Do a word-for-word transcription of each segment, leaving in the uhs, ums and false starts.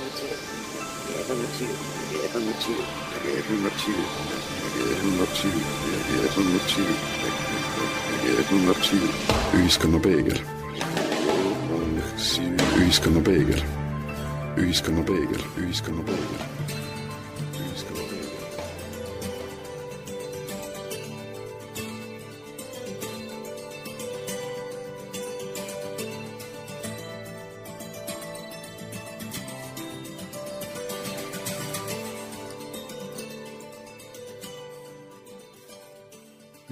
Ühiskonna peegel. Ühiskonna peegel. Ühiskonna peegel. Ühiskonna peegel.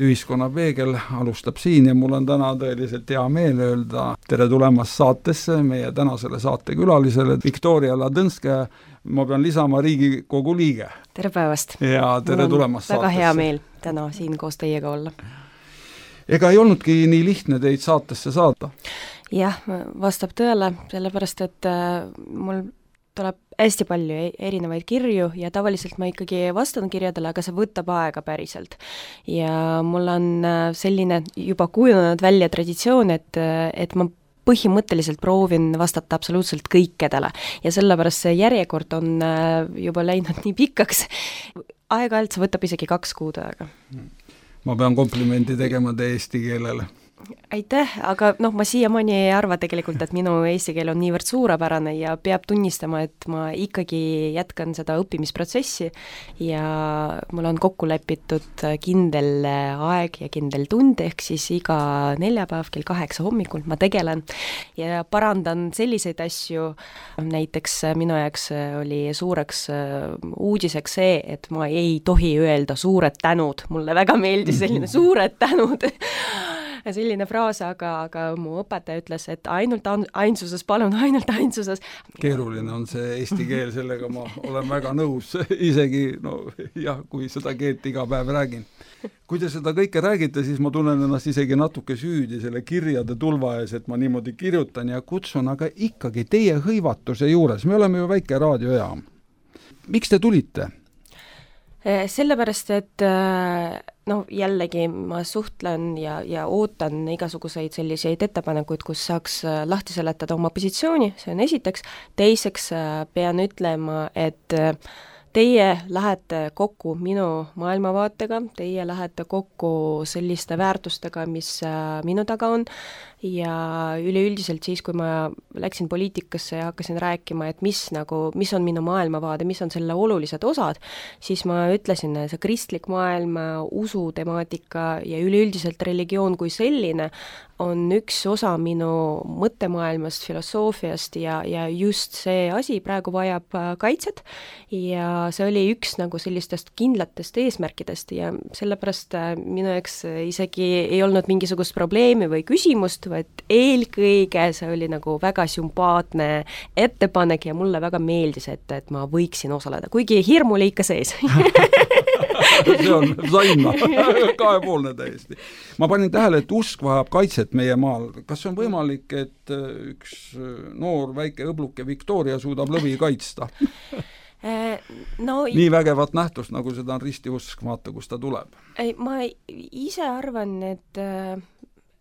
Ühiskonna peegel alustab siin ja mul on täna tõeliselt hea meel öelda tere tulemast saatesse meie tänasele saatekülalisele Viktoria Ladõnskaja. Ma pean lisama Riigikogu liige. Tere päevast. Ja tere tulemast väga saatesse. Hea meel täna siin koos teiega olla. Ega ei olnudki nii lihtne teid saatesse saada? Jah, vastab tõele, sellepärast, et mul tuleb hästi palju erinevaid kirju ja tavaliselt ma ikkagi vastan kirjadele, aga see võtab aega päriselt. Ja mul on selline juba kujunenud välja traditsioon, et, et ma põhimõtteliselt proovin vastata absoluutselt kõikedele ja sellepärast see järjekord on juba läinud nii pikaks. Aeg-ajalt see võtab isegi kaks kuud aega. Ma pean komplimendi tegema teie eesti keelele. Aitäh, aga noh, ma siiamaani ei arva tegelikult, et minu eesti keel on niivõrd suurepärane ja peab tunnistama, et ma ikkagi jätkan seda õppimisprotsessi ja mul on kokku lepitud kindel aeg ja kindel tund, ehk siis iga neljapäev kell kaheksa hommikul ma tegelen ja parandan selliseid asju. Näiteks minu jaoks oli suureks uudiseks see, et ma ei tohi öelda suured tänud. Mulle väga meeldis selline suured tänud. Selline fraas, aga, aga mu õpetaja ütles, et ainult ainsuses, palun ainult ainsuses. Keeruline on see eesti keel, sellega ma olen väga nõus, isegi no, jah, kui seda keelt iga päev räägin. Kui te seda kõike räägite, siis ma tunnen ennast isegi natuke süüdi selle kirjade tulva ees, et ma niimoodi kirjutan ja kutsun, aga ikkagi teie hõivatuse juures, me oleme ju väike raadiojaam. Miks te tulite? Sellepärast, et no jällegi ma suhtlen ja, ja ootan igasuguseid selliseid ettepanekuid, kus saaks lahti seletada oma positsiooni, see on esiteks. Teiseks pean ütlema, et teie lähete kokku minu maailmavaatega, teie lähete kokku selliste väärtustega, mis minu taga on ja üleüldiselt siis, kui ma läksin poliitikasse ja hakkasin rääkima, et mis, nagu, mis on minu maailmavaade, mis on selle olulised osad, siis ma ütlesin, see kristlik maailm, usu temaatika ja üleüldiselt religioon kui selline on üks osa minu mõttemaailmast, filosoofiast ja, ja just see asi praegu vajab kaitset ja see oli üks nagu sellistest kindlatest eesmärkidest ja sellepärast minu jaoks isegi ei olnud mingisugust probleemi või küsimust, vaid eelkõige see oli nagu väga sümpaatne ettepanek ja mulle väga meeldis, et, et ma võiksin osaleda, kuigi hirm oli ikka sees. See on saima, kahepoolne täiesti. Ma panin tähele, et usk vajab kaitset meie maal. Kas on võimalik, et üks noor väike õbluke Viktoria suudab lõvi kaitsta? No, nii vägevat nähtust, nagu seda on ristiusk, vaata, kus ta tuleb. Ei, ma ise arvan, et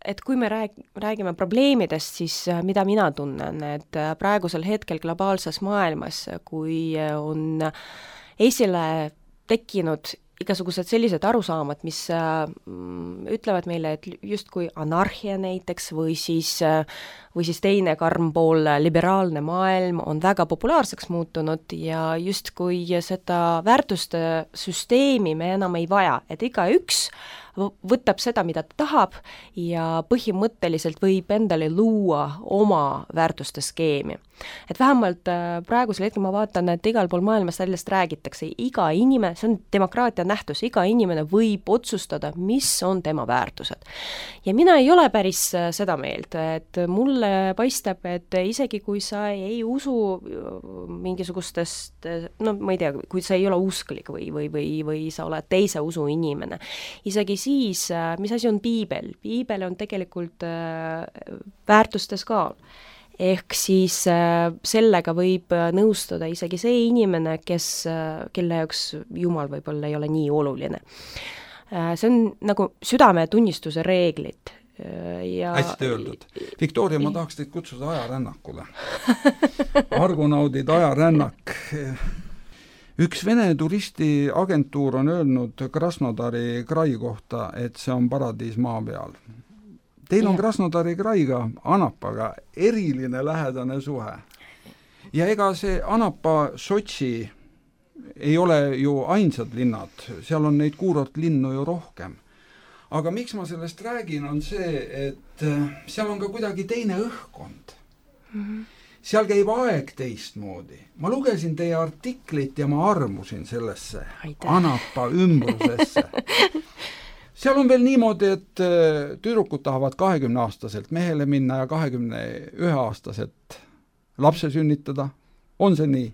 et kui me rääg, räägime probleemidest, siis mida mina tunnen, et praegusel hetkel globaalses maailmas, kui on esile tekkinud igasugused sellised arusaamad, mis äh, ütlevad meile, et justkui anarhia näiteks või siis, äh, või siis teine karm pool, liberaalne maailm on väga populaarseks muutunud ja justkui seda väärtuste süsteemi me enam ei vaja, et iga üks võtab seda, mida ta tahab ja põhimõtteliselt võib endale luua oma väärtuste skeemi. Et vähemalt praegusel hetkel ma vaatan, et igal pool maailmas sellest räägitakse, iga inimene, see on demokraatia nähtus, iga inimene võib otsustada, mis on tema väärtused. Ja mina ei ole päris seda meelt, et mulle paistab, et isegi kui sa ei usu mingisugustest, no ma ei tea, kui sa ei ole usklik või, või, või, või sa oled teise usu inimene, isegi siis, mis asi on piibel? Piibel on tegelikult väärtuste skaal. Ehk siis sellega võib nõustuda isegi see inimene, kes, kelle jaoks Jumal võib-olla ei ole nii oluline. See on nagu südametunnistuse reeglid. Ja... hästi öeldud. Viktoria, ma tahaks teid kutsuda ajarännakule. Argonaudid, ajarännak. Üks Vene turistiagentuur on öelnud Krasnodari krai kohta, et see on paradiis maa peal. Teil on Krasnodari kraiga, Anapaga eriline lähedane suhe. Ja ega see Anapa, Sotši ei ole ju ainsad linnad, seal on neid kuurortlinnu ju rohkem. Aga miks ma sellest räägin, on see, et seal on ka kuidagi teine õhkkond. Mm-hmm. Seal käib aeg teistmoodi. Ma lugesin teie artiklit ja ma armusin sellesse Aitäh. Anapa ümbrusesse. Seal on veel niimoodi, et tüdrukud tahavad kahekümne aastaselt mehele minna ja kahekümne ühe aastaselt lapse sünnitada. On see nii?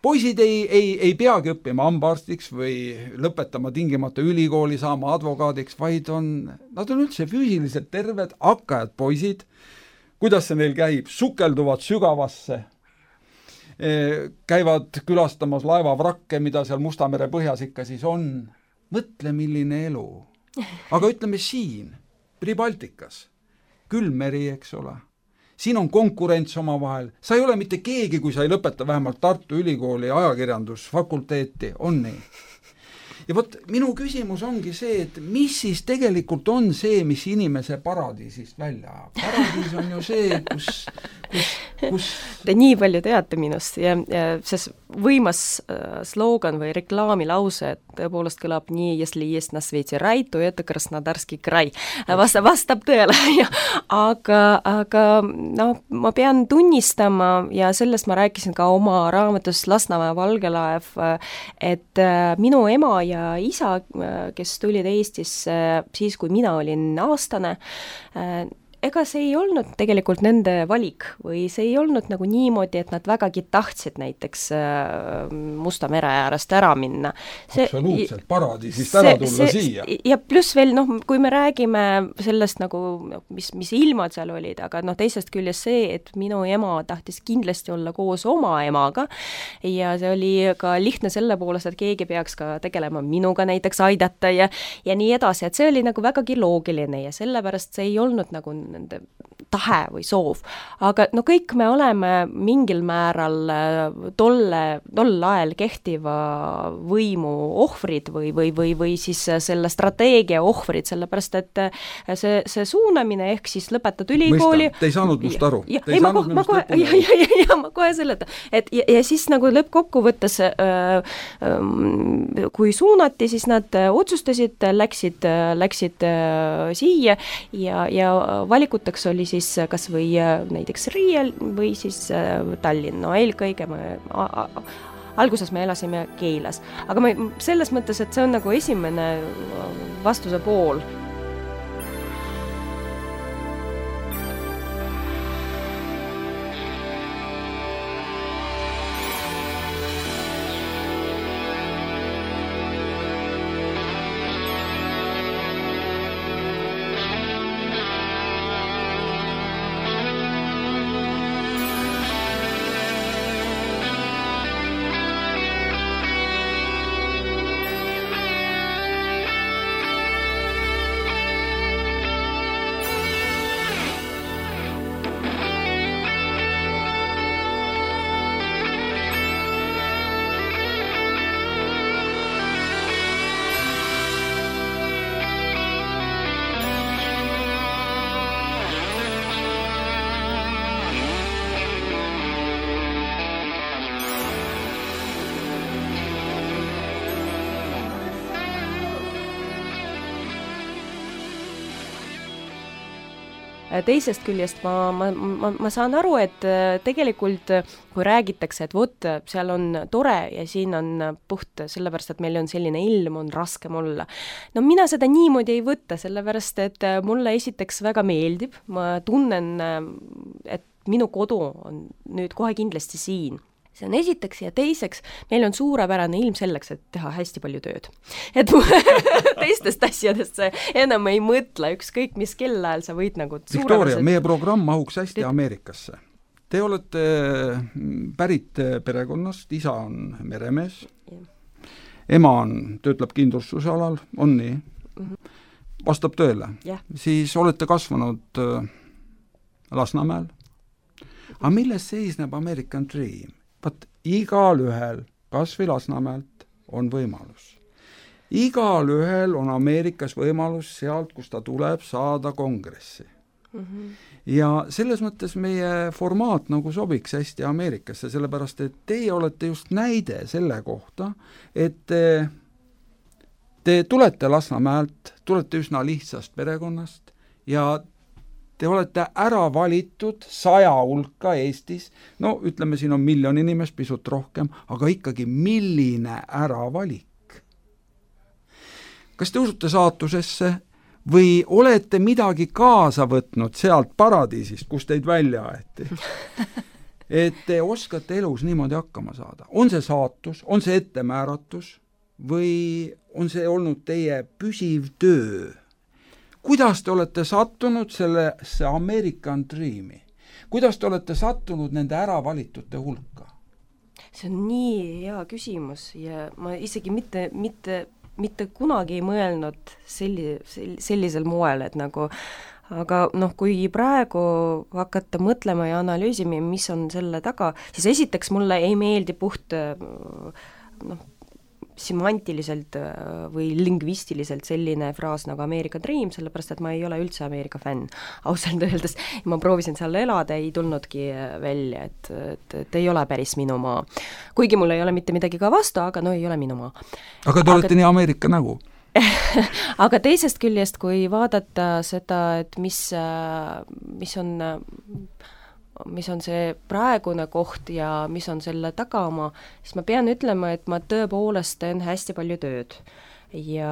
Poisid ei, ei, ei peagi õppima hambaarstiks või lõpetama tingimata ülikooli, saama advokaadiks, vaid on, nad on üldse füüsiliselt terved, hakkajad poisid. Kuidas see neil käib? Sukelduvad sügavasse, käivad külastamas laevavrakke, mida seal Mustamere põhjas ikka siis on. Mõtle, milline elu. Aga ütleme siin, Pribaltikas, külmmeri, eks ole. Siin on konkurents oma vahel. Sa ei ole mitte keegi, kui sa ei lõpeta vähemalt Tartu Ülikooli ajakirjandusfakulteeti. On nii. Ja võt, minu küsimus ongi see, et mis siis tegelikult on see, mis inimese paradiisist välja ajab. Paradiis on ju see, kus... kus, kus... Te nii palju teate minust ja, ja see võimas äh, slogan või reklaamilause, et tõepoolest kõlab nii, если есть на свете рай, то это Krasnodarski kraj. Vastab, vastab tõele. aga, aga no, ma pean tunnistama ja sellest ma rääkisin ka oma raamatus Lasnamäe Valgelaev, et äh, minu ema ja isa, kes tulid Eestisse siis, kui mina olin aastane, ega see ei olnud tegelikult nende valik või see ei olnud nagu niimoodi, et nad vägagi tahtsid näiteks Musta mere äärest ära minna. See, absoluutselt, paradiisist ära tulla see, siia. Ja pluss veel, noh, kui me räägime sellest nagu, mis, mis ilmad seal olid, aga noh, teisest küljest see, et minu ema tahtis kindlasti olla koos oma emaga ja see oli ka lihtne selle poolest, et keegi peaks ka tegelema minuga näiteks aidata ja, ja nii edasi, et see oli nagu vägagi loogiline ja sellepärast see ei olnud nagu nende tahe või soov. Aga no kõik me oleme mingil määral tolle, tol ajal kehtiva võimu ohvrid või, või, või, või siis selle strateegia ohvrid, sellepärast et see, see suunamine ehk siis lõpetad ülikooli. Mõista, te ei saanud must aru. Ja, ei, ma, kohe, ma, kohe, ja, ja, ja, ja, ma kohe seleta. Et, ja, ja siis nagu lõppkokkuvõttes, äh, äh, kui suunati, siis nad otsustasid, läksid, läksid äh, siia ja, ja valikuteks oli siis kas või näiteks Riial või siis Tallinn. No eelkõige me, a, a, alguses me elasime Keilas. Aga ma, selles mõttes, et see on nagu esimene vastuse pool. Teisest küljest ma, ma, ma, ma saan aru, et tegelikult kui räägitakse, et vot, seal on tore ja siin on puht, sellepärast, et meil on selline ilm, on raskem olla. No mina seda niimoodi ei võtta, sellepärast, et mulle esiteks väga meeldib, ma tunnen, et minu kodu on nüüd kohe kindlasti siin. See on esiteks ja teiseks, meil on suurepärane ilm selleks, et teha hästi palju tööd. Et teistest asjadest sa enam ei mõtle, ükskõik mis kellaajal sa võid nagu Victoria, meie programm mahuks hästi Ameerikasse. Te olete pärit perekonnast, isa on meremees, ema on, töötleb kindlustusalal, on nii, vastab tõele. Yeah. Siis olete kasvanud Lasnamäel. aga milles seisneb American Dream? Vaat igal ühel, kas või Lasnamäelt, on võimalus. Igal ühel on Ameerikas võimalus sealt, kus ta tuleb, saada kongressi. Mm-hmm. Ja selles mõttes meie formaat nagu sobiks hästi Ameerikasse, sellepärast et teie olete just näide selle kohta, et te, te tulete Lasnamäelt, tulete üsna lihtsast perekonnast ja te olete ära valitud saja hulka Eestis, no ütleme, siin on miljon inimest, pisut rohkem, aga ikkagi milline äravalik. Kas te usute saatusesse või olete midagi kaasa võtnud sealt paradiisist, kus teid välja aeti? Et te oskate elus niimoodi hakkama saada. On see saatus, on see ettemääratus või on see olnud teie püsiv töö? Kuidas te olete sattunud sellesse American Dreami? Kuidas te olete sattunud nende äravalitute hulka? See on nii hea küsimus ja ma isegi mitte, mitte, mitte kunagi ei mõelnud selli, sellisel moel, et nagu aga noh, kui praegu hakata mõtlema ja analüüsima, mis on selle taga, siis esiteks mulle ei meeldi puht noh, semantiliselt või lingvistiliselt selline fraas nagu American Dream, sellepärast et ma ei ole üldse Ameerika fänn. Ausalt öeldes ma proovisin seal elada, ei tulnudki välja, et, et, et ei ole päris minu maa. Kuigi mul ei ole mitte midagi ka vastu, aga no ei ole minu maa. Aga te olete aga... nii Ameerika nägu? Aga teisest küljest, kui vaadata seda, et mis, mis on... mis on see praegune koht ja mis on selle tagama, siis ma pean ütlema, et ma tõepoolest teen hästi palju tööd. Ja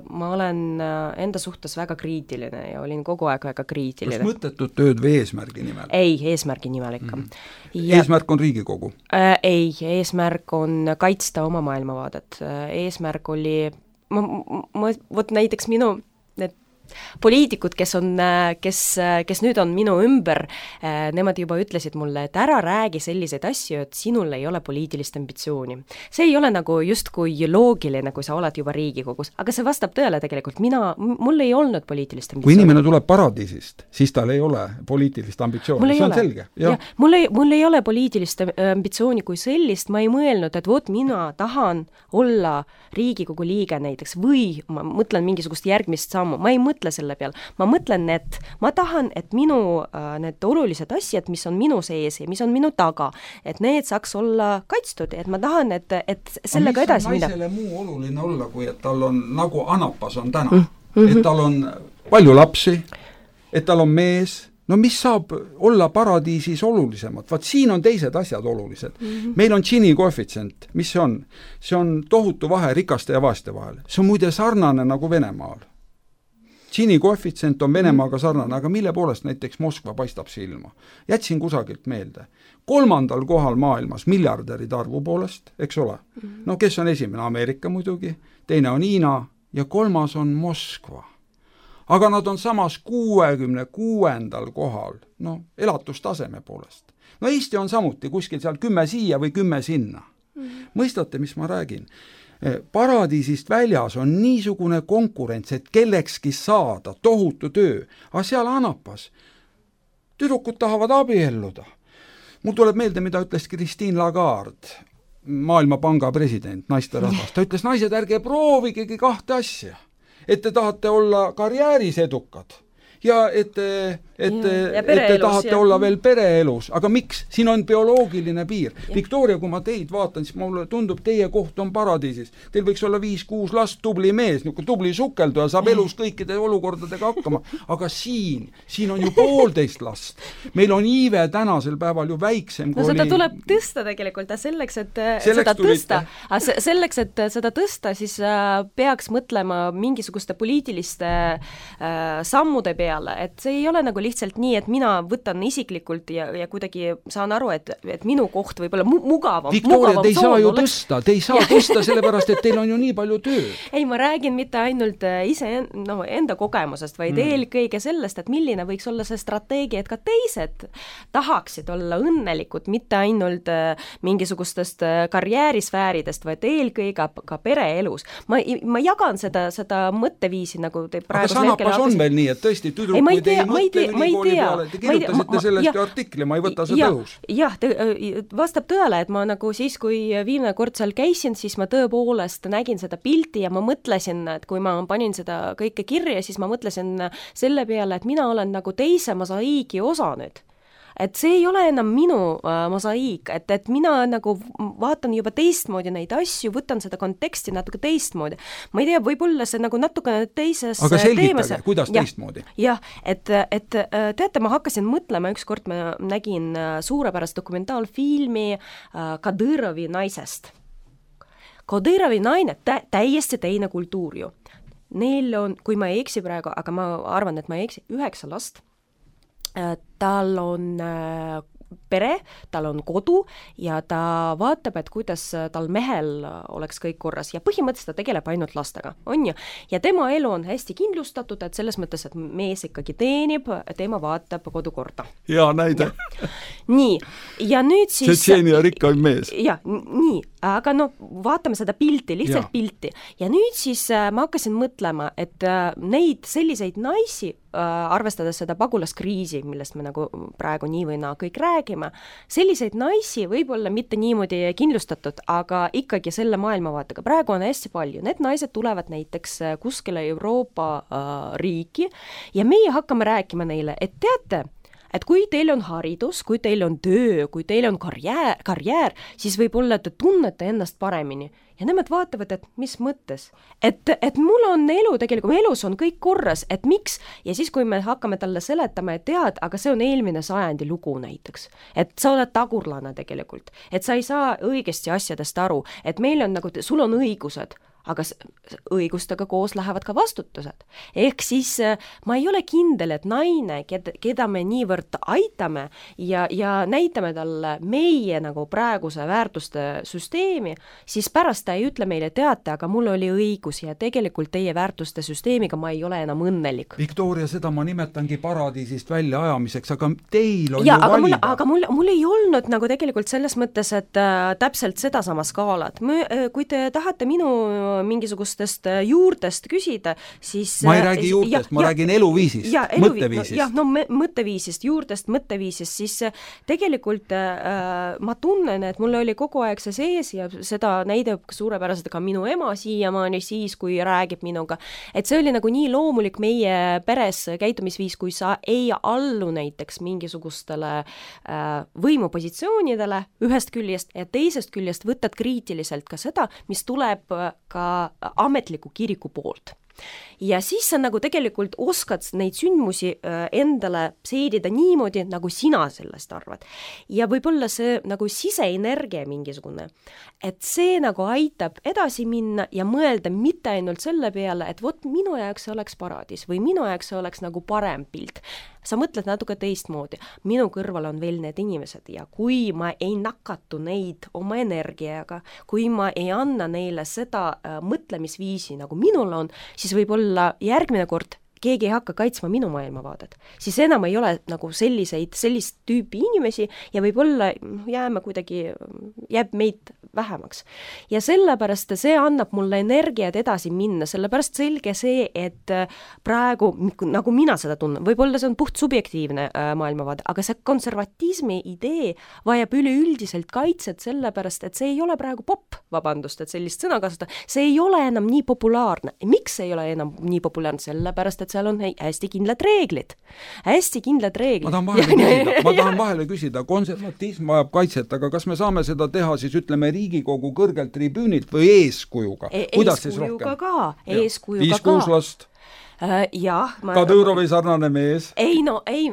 ma olen enda suhtes väga kriitiline ja olin kogu aeg väga kriitiline. Kas mõttetut tööd või eesmärgi nimel? Ei, eesmärgi nimel ikka. Mm-hmm. Ja, eesmärk on Riigikogu? Äh, ei, eesmärk on kaitsta oma maailmavaadet. Eesmärk oli, ma, ma, võt näiteks minu need poliitikud, kes on, kes, kes nüüd on minu ümber, nemad juba ütlesid mulle, et ära räägi selliseid asju, et sinul ei ole poliitilist ambitsiooni. See ei ole nagu justkui loogiline, kui sa oled juba Riigikogus, aga see vastab tõele tegelikult. Mina, mul ei olnud poliitilist ambitsiooni. Kui inimene tuleb paradiisist, siis tal ei ole poliitilist ambitsiooni. See on ole. Selge. Ja. Ja, mul, ei, mul ei ole poliitilist ambitsiooni kui sellist, ma ei mõelnud, et vot mina tahan olla Riigikogu liige näiteks või ma mõtlen mingisugust järgmist sammu, ma ei mõtle selle peal. Ma mõtlen, et ma tahan, et minu äh, need olulised asjad, mis on minu sees ja mis on minu taga, et need saaks olla kaitstud, et ma tahan, et, et sellega edasi mida. Mis on naisele muu oluline olla, kui et tal on, nagu Anapas on täna, mm-hmm. et tal on palju lapsi, et tal on mees, no mis saab olla paradiisis olulisemad? Vaat siin on teised asjad olulised. Mm-hmm. Meil on Gini koefitsient, mis see on? See on tohutu vahe rikaste ja vaeste vahel. See on muide sarnane nagu Venemaal. Gini koefitsient on Venemaaga sarnane, aga mille poolest näiteks Moskva paistab silma? Jätsin kusagilt meelde. Kolmandal kohal maailmas miljardäride arvu poolest, eks ole? No kes on esimene? Ameerika muidugi, teine on Hiina ja kolmas on Moskva. Aga nad on samas kuuekümne kuuendal kohal, no elatustaseme poolest. No Eesti on samuti kuskil seal kümme siia või kümme sinna. Mõistate, mis ma räägin? Paradiisist väljas on niisugune konkurents, et kellekski saada tohutu töö, aga seal Anapas tüdrukud tahavad abielluda. Mul tuleb meelde, mida ütles Christine Lagarde, Maailmapanga president, naiste rahvas. Ta ütles, naised, ärge proovigegi kahte asja, et te tahate olla karjääris edukad ja et te, et, ja, et te tahate ja. olla veel pereelus. Aga miks? Siin on bioloogiline piir. Ja. Victoria, kui ma teid vaatan, siis mulle tundub, teie koht on paradiisis. Teil võiks olla viis kuus last, tubli mees, nagu tubli sukelduja, saab ja. elus kõikide olukordadega hakkama. Aga siin, siin on ju poolteist last. Meil on iive tänasel päeval ju väiksem. No seda oli... tuleb tõsta tegelikult, selleks, et selleks seda tõsta. Selleks, et seda tõsta, siis peaks mõtlema mingisuguste poliitiliste sammude peale, et see ei ole nagu lihtsalt nii, et mina võtan isiklikult ja, ja kuidagi saan aru, et, et minu koht võib olla mu- mugavam. Victoria, te ei saa ju oleks... tõsta, te ei saa tõsta sellepärast, et teil on ju nii palju töö. Ei, ma räägin mitte ainult ise no, enda kogemusest, vaid mm. eelkõige sellest, et milline võiks olla see strateegia, et ka teised tahaksid olla õnnelikud, mitte ainult mingisugustest karjäärisfääridest, vaid eelkõige ka, ka pereelus. Ma, ma jagan seda, seda mõtteviisi, nagu te praegu aga Sanapas on veel nii, et tõesti tüdrukuid ei, ei mõtle ülikooli peale, te kirjutasite sellest ja, artikli, ma ei võta seda õhus. Jah, vastab tõele, et ma nagu siis, kui viimane kord seal käisin, siis ma tõepoolest nägin seda pilti ja ma mõtlesin, et kui ma panin seda kõike kirja, siis ma mõtlesin selle peale, et mina olen nagu teise mosaiigi osa nüüd. Et see ei ole enam minu äh, mosaiik, et, et mina nagu vaatan juba teistmoodi neid asju, võtan seda konteksti natuke teistmoodi. Ma ei tea, võib-olla see nagu natuke teises aga selgitage, teemas. kuidas ja, teistmoodi? Jah, et, et teate, ma hakkasin mõtlema, ükskord ma nägin suurepärast dokumentaalfilmi äh, Kadõrovi naisest. Kadõrovi naine, tä- täiesti teine kultuur ju. Neil on, kui ma ei eksi praegu, aga ma arvan, et ma ei eksi, üheksa last. Tal on pere, tal on kodu ja ta vaatab, et kuidas tal mehel oleks kõik korras ja põhimõtteliselt ta tegeleb ainult lastega, on ju. Ja tema elu on hästi kindlustatud, et selles mõttes, et mees ikkagi teenib, tema vaatab kodukorda. Hea näide. Nii, ja nüüd siis... Tšetšeenia rikkaim mees. Ja, nii, aga no vaatame seda pilti, lihtsalt ja. pilti. Ja nüüd siis ma hakkasin mõtlema, et neid selliseid naisi, arvestades seda pagulaskriisi, millest me nagu praegu nii või naa kõik räägime, selliseid naisi võib-olla mitte niimoodi kindlustatud, aga ikkagi selle maailmavaatega. Praegu on hästi palju. Need naised tulevad näiteks kuskile Euroopa äh, riiki ja meie hakkame rääkima neile, et teate, et kui teil on haridus, kui teil on töö, kui teil on karjäär, karjäär siis võib-olla te tunnete ennast paremini. Ja nemad vaatavad, et mis mõttes. Et, et mul on elu tegelikult, elus on kõik korras, et miks? Ja siis, kui me hakkame talle seletama, et tead, aga see on eelmine sajandi lugu näiteks. Et sa oled tagurlane tegelikult. Et sa ei saa õigesti asjadest aru. Et meil on nagu, sul on õigused, aga õigustega koos lähevad ka vastutused. Ehk siis ma ei ole kindel, et naine, keda, keda me niivõrd aitame ja, ja näitame talle meie nagu praeguse väärtuste süsteemi, siis pärast ta ei ütle meile, teate, aga mul oli õigus ja tegelikult teie väärtuste süsteemiga ma ei ole enam õnnelik. Viktoria, seda ma nimetangi paradiisist välja ajamiseks, aga teil on ja, ju aga valida. Mul, aga mul, mul ei olnud nagu tegelikult selles mõttes, et äh, täpselt seda sama skaalat. Mõ, äh, kui te tahate minu mingisugustest juurtest küsida, siis... Ma ei räägi juurtest, ja, ma ja, räägin eluviisist, ja, eluvi- mõtteviisist. Jah, no mõtteviisist, juurtest, mõtteviisist, siis tegelikult äh, ma tunnen, et mul oli kogu aeg see sees ja seda näidab suurepäraselt ka minu ema siiamaani siis, kui räägib minuga. Et see oli nagu nii loomulik meie peres käitumisviis, kui sa ei allu näiteks mingisugustele äh, võimupositsioonidele ühest küljest ja teisest küljest võtad kriitiliselt ka seda, mis tuleb ka ametliku kiriku poolt. Ja siis sa nagu tegelikult oskad neid sündmusi endale seedida niimoodi, nagu sina sellest arvad. Ja võib-olla see nagu siseenergia mingisugune, et see nagu aitab edasi minna ja mõelda mitte ainult selle peale, et vot minu jaoks see oleks paradiis või minu jaoks see oleks nagu parem pilt. Sa mõtled natuke teistmoodi. Minu kõrval on veel need inimesed ja kui ma ei nakatu neid oma energiaga, kui ma ei anna neile seda äh, mõtlemisviisi, nagu minul on, siis võib-olla järgmine kord keegi ei hakka kaitsma minu maailmavaadet. Siis enam ei ole nagu selliseid, sellist tüüpi inimesi ja võib-olla jääme kuidagi, jääb meid vähemaks. Ja sellepärast see annab mulle energiat edasi minna, sellepärast selge see, et praegu, nagu mina seda tunnen, võib-olla see on puht subjektiivne äh, maailmavaade, aga see konservatismi idee vajab üleüldiselt kaitset sellepärast, et see ei ole praegu pop, vabandust, et sellist sõna kasutada, see ei ole enam nii populaarne. Miks ei ole enam nii populaarne? Sellepärast, et seal on hästi kindlad reeglid. Hästi kindlad reeglid. Ma tahan vahele küsida, ma tahan vahele küsida, konservatism vajab kaitset, aga kas me saame seda teha siis ütleme Riigikogu kõrgelt tribüünilt või eeskujuga? E- Kuidas eeskujuga ka, eeskujuga Viis kuus last. Uh, jah, ma... Kadõrovi sarnane mees. Ei, no, ei,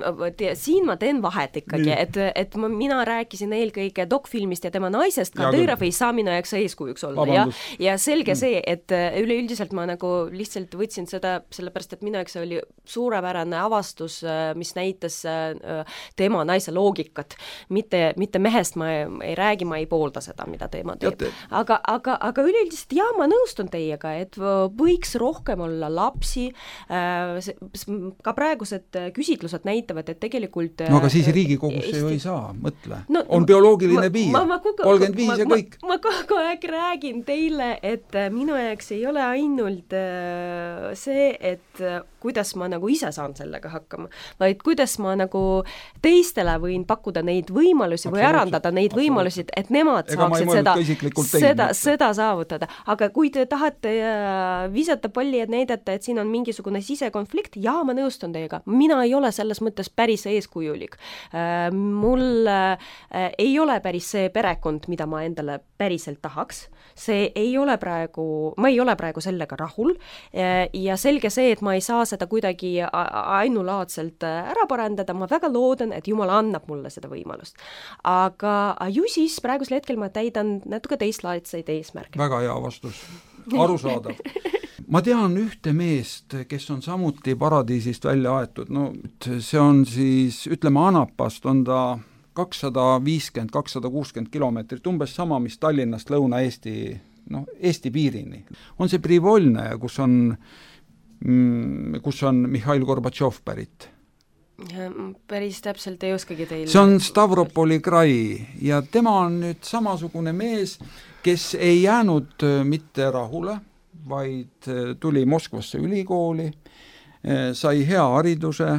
siin ma teen vahet ikkagi, et, et ma, mina rääkisin eelkõige dokfilmist ja tema naisest, Kadõrov ei saa minu jaoks eeskujuks olla. Ja, ja selge see, et üleüldiselt ma nagu lihtsalt võtsin seda, sellepärast, et minu jaoks oli suurepärane avastus, mis näitas tema naise loogikat. Mitte, mitte mehest ma ei, ei räägi, ma ei poolda seda, mida tema teeb. Aga, aga, aga üleüldiselt, jah, ma nõustun teiega, et võiks rohkem olla lapsi, ka praegused küsitlused näitavad, et tegelikult no aga siis Riigikogusse Eesti... ju ei saa, mõtle. No, on bioloogiline ma, piir, kolmkümmend viis ja kõik. Ma, ma kogu aeg räägin teile, et minu jaoks ei ole ainult see, et kuidas ma nagu ise saan sellega hakkama, vaid kuidas ma nagu teistele võin pakkuda neid võimalusi või arendada neid võimalusi, et nemad Ega saaksid seda, seda, seda saavutada. Aga kui te tahate visata palli, et näidata, et siin on mingisugune sisekonflikt, jaa, ma nõustun teiega. Mina ei ole selles mõttes päris eeskujulik. Mul ei ole päris see perekond, mida ma endale päriselt tahaks. See ei ole praegu, ma ei ole praegu sellega rahul ja selge see, et ma ei saa seda kuidagi ainulaadselt ära parandada, ma väga loodan, et Jumal annab mulle seda võimalust. Aga ju siis praegusel hetkel ma täidan natuke teistlaadseid eesmärke. Väga hea vastus, arusaadav. Ma tean ühte meest, kes on samuti paradiisist välja aetud, no see on siis, ütleme Anapast on ta kakssada viiskümmend, kakssada kuuskümmend kilomeetrit, umbes sama, mis Tallinnast Lõuna-Eesti, noh, Eesti piirini. On see Privolne, kus on, kus on Mihhail Gorbatšov pärit? Päris täpselt ei oskagi teile. See on Stavropoli krai ja tema on nüüd samasugune mees, kes ei jäänud mitte rahule, vaid tuli Moskvasse ülikooli, sai hea hariduse,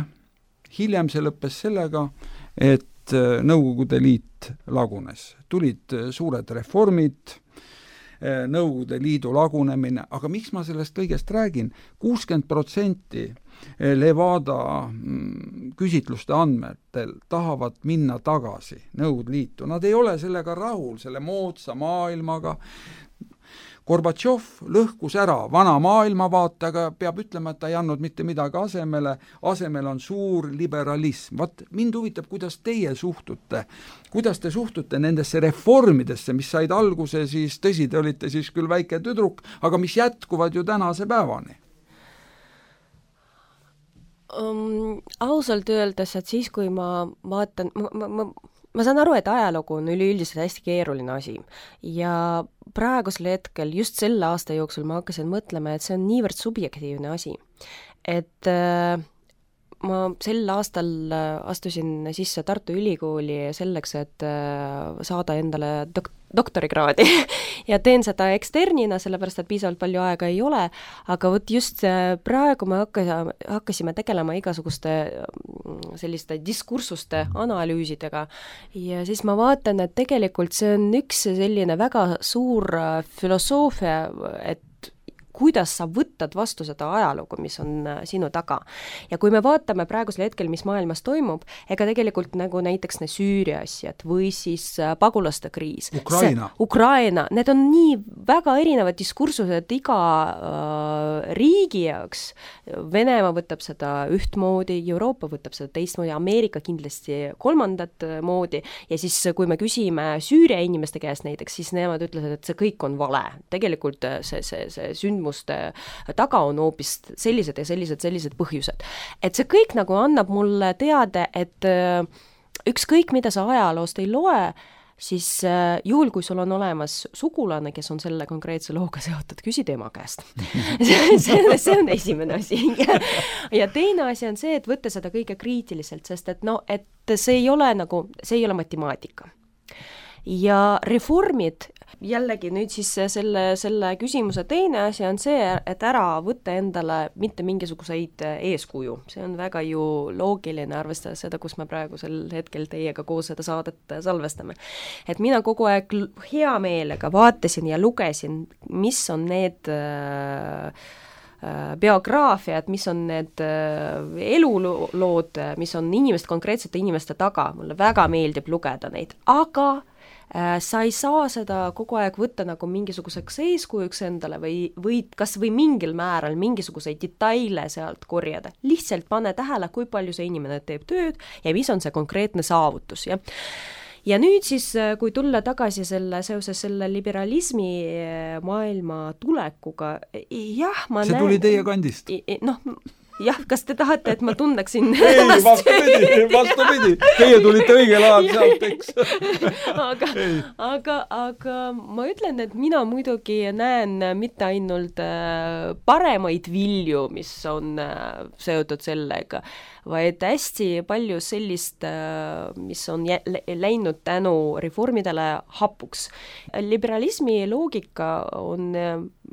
hiljem see lõppes sellega, et Nõukogude Liit lagunes. Tulid suured reformid, Nõukogude Liidu lagunemine, aga miks ma sellest kõigest räägin? kuuskümmend protsenti Levada küsitluste andmetel tahavad minna tagasi Nõukogude Liitu. Nad ei ole sellega rahul, selle moodsa maailmaga. Gorbatšov lõhkus ära vana maailmavaatega, peab ütlema, et ta ei andnud mitte midagi asemele, asemel on suur liberalism. Vat, mind huvitab, kuidas teie suhtute, kuidas te suhtute nendesse reformidesse, mis said alguse siis, tõsi, te olite siis küll väike tüdruk, aga mis jätkuvad ju tänase päevani? Um, ausalt öeldes, et siis, kui ma vaatan, ma, ma, ma ma saan aru, et ajalugu on üleüldiselt hästi keeruline asi ja praegusel hetkel, just selle aasta jooksul ma hakkasin mõtlema, et see on niivõrd subjektiivne asi, et äh, ma sel aastal astusin sisse Tartu Ülikooli selleks, et äh, saada endale dok- doktorikraadi ja teen seda eksternina, sellepärast, et piisavalt palju aega ei ole, aga võt just praegu me hakkasime, hakkasime tegelema igasuguste selliste diskursuste analüüsidega ja siis ma vaatan, et tegelikult see on üks selline väga suur filosoofia, et kuidas sa võtad vastu seda ajalugu, mis on sinu taga. Ja kui me vaatame praegusel hetkel, mis maailmas toimub, ega tegelikult nagu näiteks ne Süüria asjad või siis pagulaste kriis. Ukraina. See, Ukraina, need on nii väga erinevad diskursused iga äh, riigi jaoks. Venemaa võtab seda ühtmoodi, Euroopa võtab seda teistmoodi, Ameerika kindlasti kolmandat moodi ja siis kui me küsime Süüria inimeste käest näiteks, siis nemad ütlevad, et see kõik on vale. Tegelikult see, see, see sündmus taga on hoopis sellised ja sellised, sellised põhjused. Et see kõik nagu annab mulle teada, et ükskõik, mida sa ajaloost ei loe, siis juhul, kui sul on olemas sugulane, kes on selle konkreetse looga seotud, küsi tema käest. see, see, see on esimene asi. ja, ja teine asi on see, et võtta seda kõige kriitiliselt, sest et, no, et see ei ole nagu, see ei ole matemaatika. Ja reformid, jällegi nüüd siis selle, selle küsimuse teine asi on see, et ära võtta endale mitte mingisuguseid eeskuju. See on väga ju loogiline arvestades seda, kus me praegu sel hetkel teiega koos seda saadet salvestame. Et mina kogu aeg hea meelega vaatasin ja lugesin, mis on need biograafiad, mis on need elulood, mis on inimest, konkreetsete inimeste taga. Mulle väga meeldib lugeda neid, aga sa ei saa seda kogu aeg võtta nagu mingisuguseks eeskujuks endale või, või kas või mingil määral mingisuguseid detaile sealt korjada. Lihtsalt pane tähele, kui palju see inimene teeb tööd ja mis on see konkreetne saavutus. Ja, ja nüüd siis, kui tulla tagasi selle, seoses selle liberalismi maailma tulekuga, jah, ma see näen... tuli teie kandist? Noh, jah, kas te tahate, et ma tunneksin ei, vastupidi, vastupidi. Teie tulite õigel ajal sealt, eks. aga, aga, aga ma ütlen, et mina muidugi näen mitte ainult paremaid vilju, mis on seotud sellega, vaid hästi palju sellist, mis on läinud tänu reformidele hapuks. Liberalismi loogika on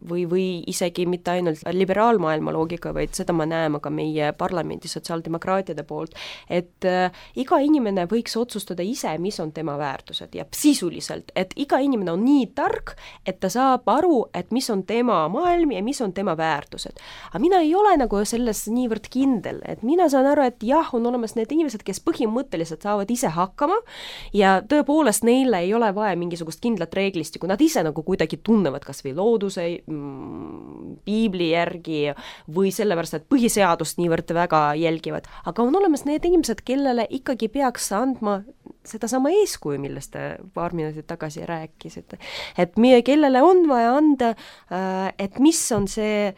või, või isegi mitte ainult liberaalmaailma loogika, vaid seda me näeme ka meie parlamendi sotsiaaldemokraatide poolt, et äh, iga inimene võiks otsustada ise, mis on tema väärtused ja sisuliselt, et iga inimene on nii tark, et ta saab aru, et mis on tema maailm ja mis on tema väärtused. Aga mina ei ole nagu selles niivõrd kindel, et mina saan aru, et jah, on olemas need inimesed, kes põhimõtteliselt saavad ise hakkama ja tõepoolest neile ei ole vaja mingisugust kindlat reeglistikku, nad ise nagu kuidagi tunnevad kas või looduse, piibli järgi või sellepärast, et põhiseadust niivõrd väga jälgivad. Aga on olemas need inimesed, kellele ikkagi peaks andma seda sama eeskuju, millest te paar minutit tagasi rääkisite. Et meie, kellele on vaja anda, et mis on see,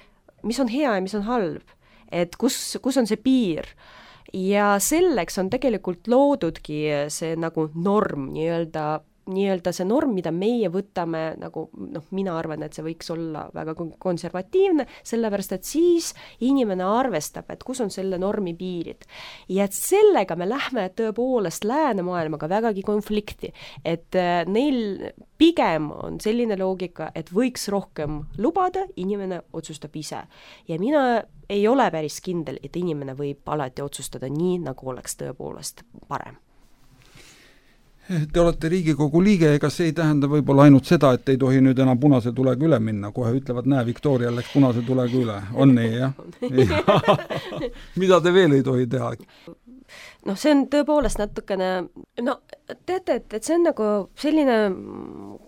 mis on hea ja mis on halb. Et kus, kus on see piir. Ja selleks on tegelikult loodudki see nagu norm, nii-öelda nii-öelda see norm, mida meie võtame, nagu noh, mina arvan, et see võiks olla väga konservatiivne, sellepärast, et siis inimene arvestab, et kus on selle normi piirid. Ja et sellega me lähme tõepoolest läänemaailmaga vägagi konflikti, et neil pigem on selline loogika, et võiks rohkem lubada, inimene otsustab ise. Ja mina ei ole päris kindel, et inimene võib alati otsustada nii, nagu oleks tõepoolest parem. Te olete Riigikogu liige, ega see ei tähenda võib-olla ainult seda, et ei tohi nüüd enam punase tulega üle minna, kohe ütlevad, näe, Victoria läks punase tulega üle. On nii, jah? Mida te veel ei tohi teha? noh, see on tõepoolest natukene, no teate, et, et see on nagu selline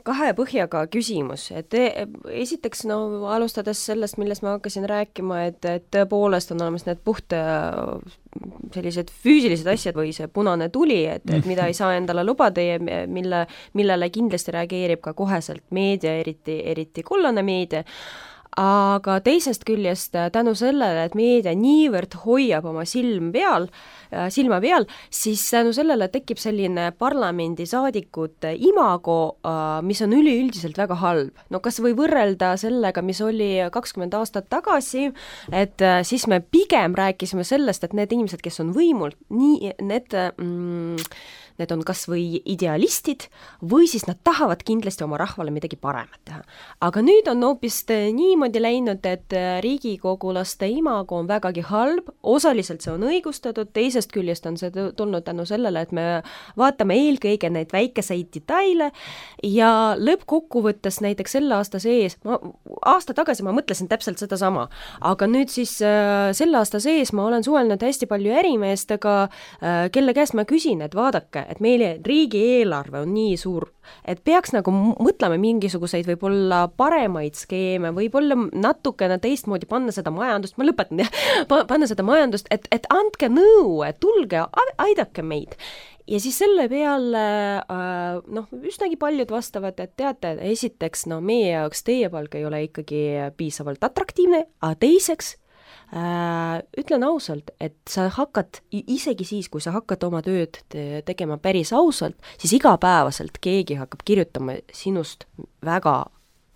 kahe põhjaga küsimus, et esiteks no alustades sellest, millest ma hakkasin rääkima, et, et tõepoolest on olemas need puht sellised füüsilised asjad või see punane tuli, et, et mida ei saa endale lubada ja mille, millele kindlasti reageerib ka koheselt meedia, eriti, eriti kollane meedia. Aga teisest küljest tänu sellele, et meedia niivõrd hoiab oma silm peal, silma peal, siis tänu sellele tekib selline parlamendisaadikute imago, mis on üleüldiselt väga halb. No kas või võrrelda sellega, mis oli kakskümmend aastat tagasi, et siis me pigem rääkisime sellest, et need inimesed, kes on võimul, nii need... Mm, need on kas või idealistid või siis nad tahavad kindlasti oma rahvale midagi paremat teha. Aga nüüd on hoopis niimoodi läinud, et riigikogulaste imago on vägagi halb, osaliselt see on õigustatud, teisest küljest on see tulnud tänu sellele, et me vaatame eelkõige neid väikeseid detaile ja lõppkokkuvõttes näiteks selle aasta sees, ma, aasta tagasi ma mõtlesin täpselt seda sama, aga nüüd siis äh, selle aasta sees ma olen suhelnud hästi palju ärimeestega, äh, kelle käest ma küsin, et vaadake, et meile riigieelarve on nii suur, et peaks nagu mõtlema mingisuguseid võib-olla paremaid skeeme, võib-olla natukene teistmoodi panna seda majandust, ma lõpetan, panna seda majandust, et, et andke nõu, et tulge, aidake meid. Ja siis selle peale, noh, üsnagi paljud vastavad, et teate, esiteks, no meie jaoks teie palk ei ole ikkagi piisavalt atraktiivne, aga teiseks, Äh, ütlen ausalt, et sa hakkad, isegi siis, kui sa hakkad oma tööd te- tegema päris ausalt, siis igapäevaselt keegi hakkab kirjutama sinust väga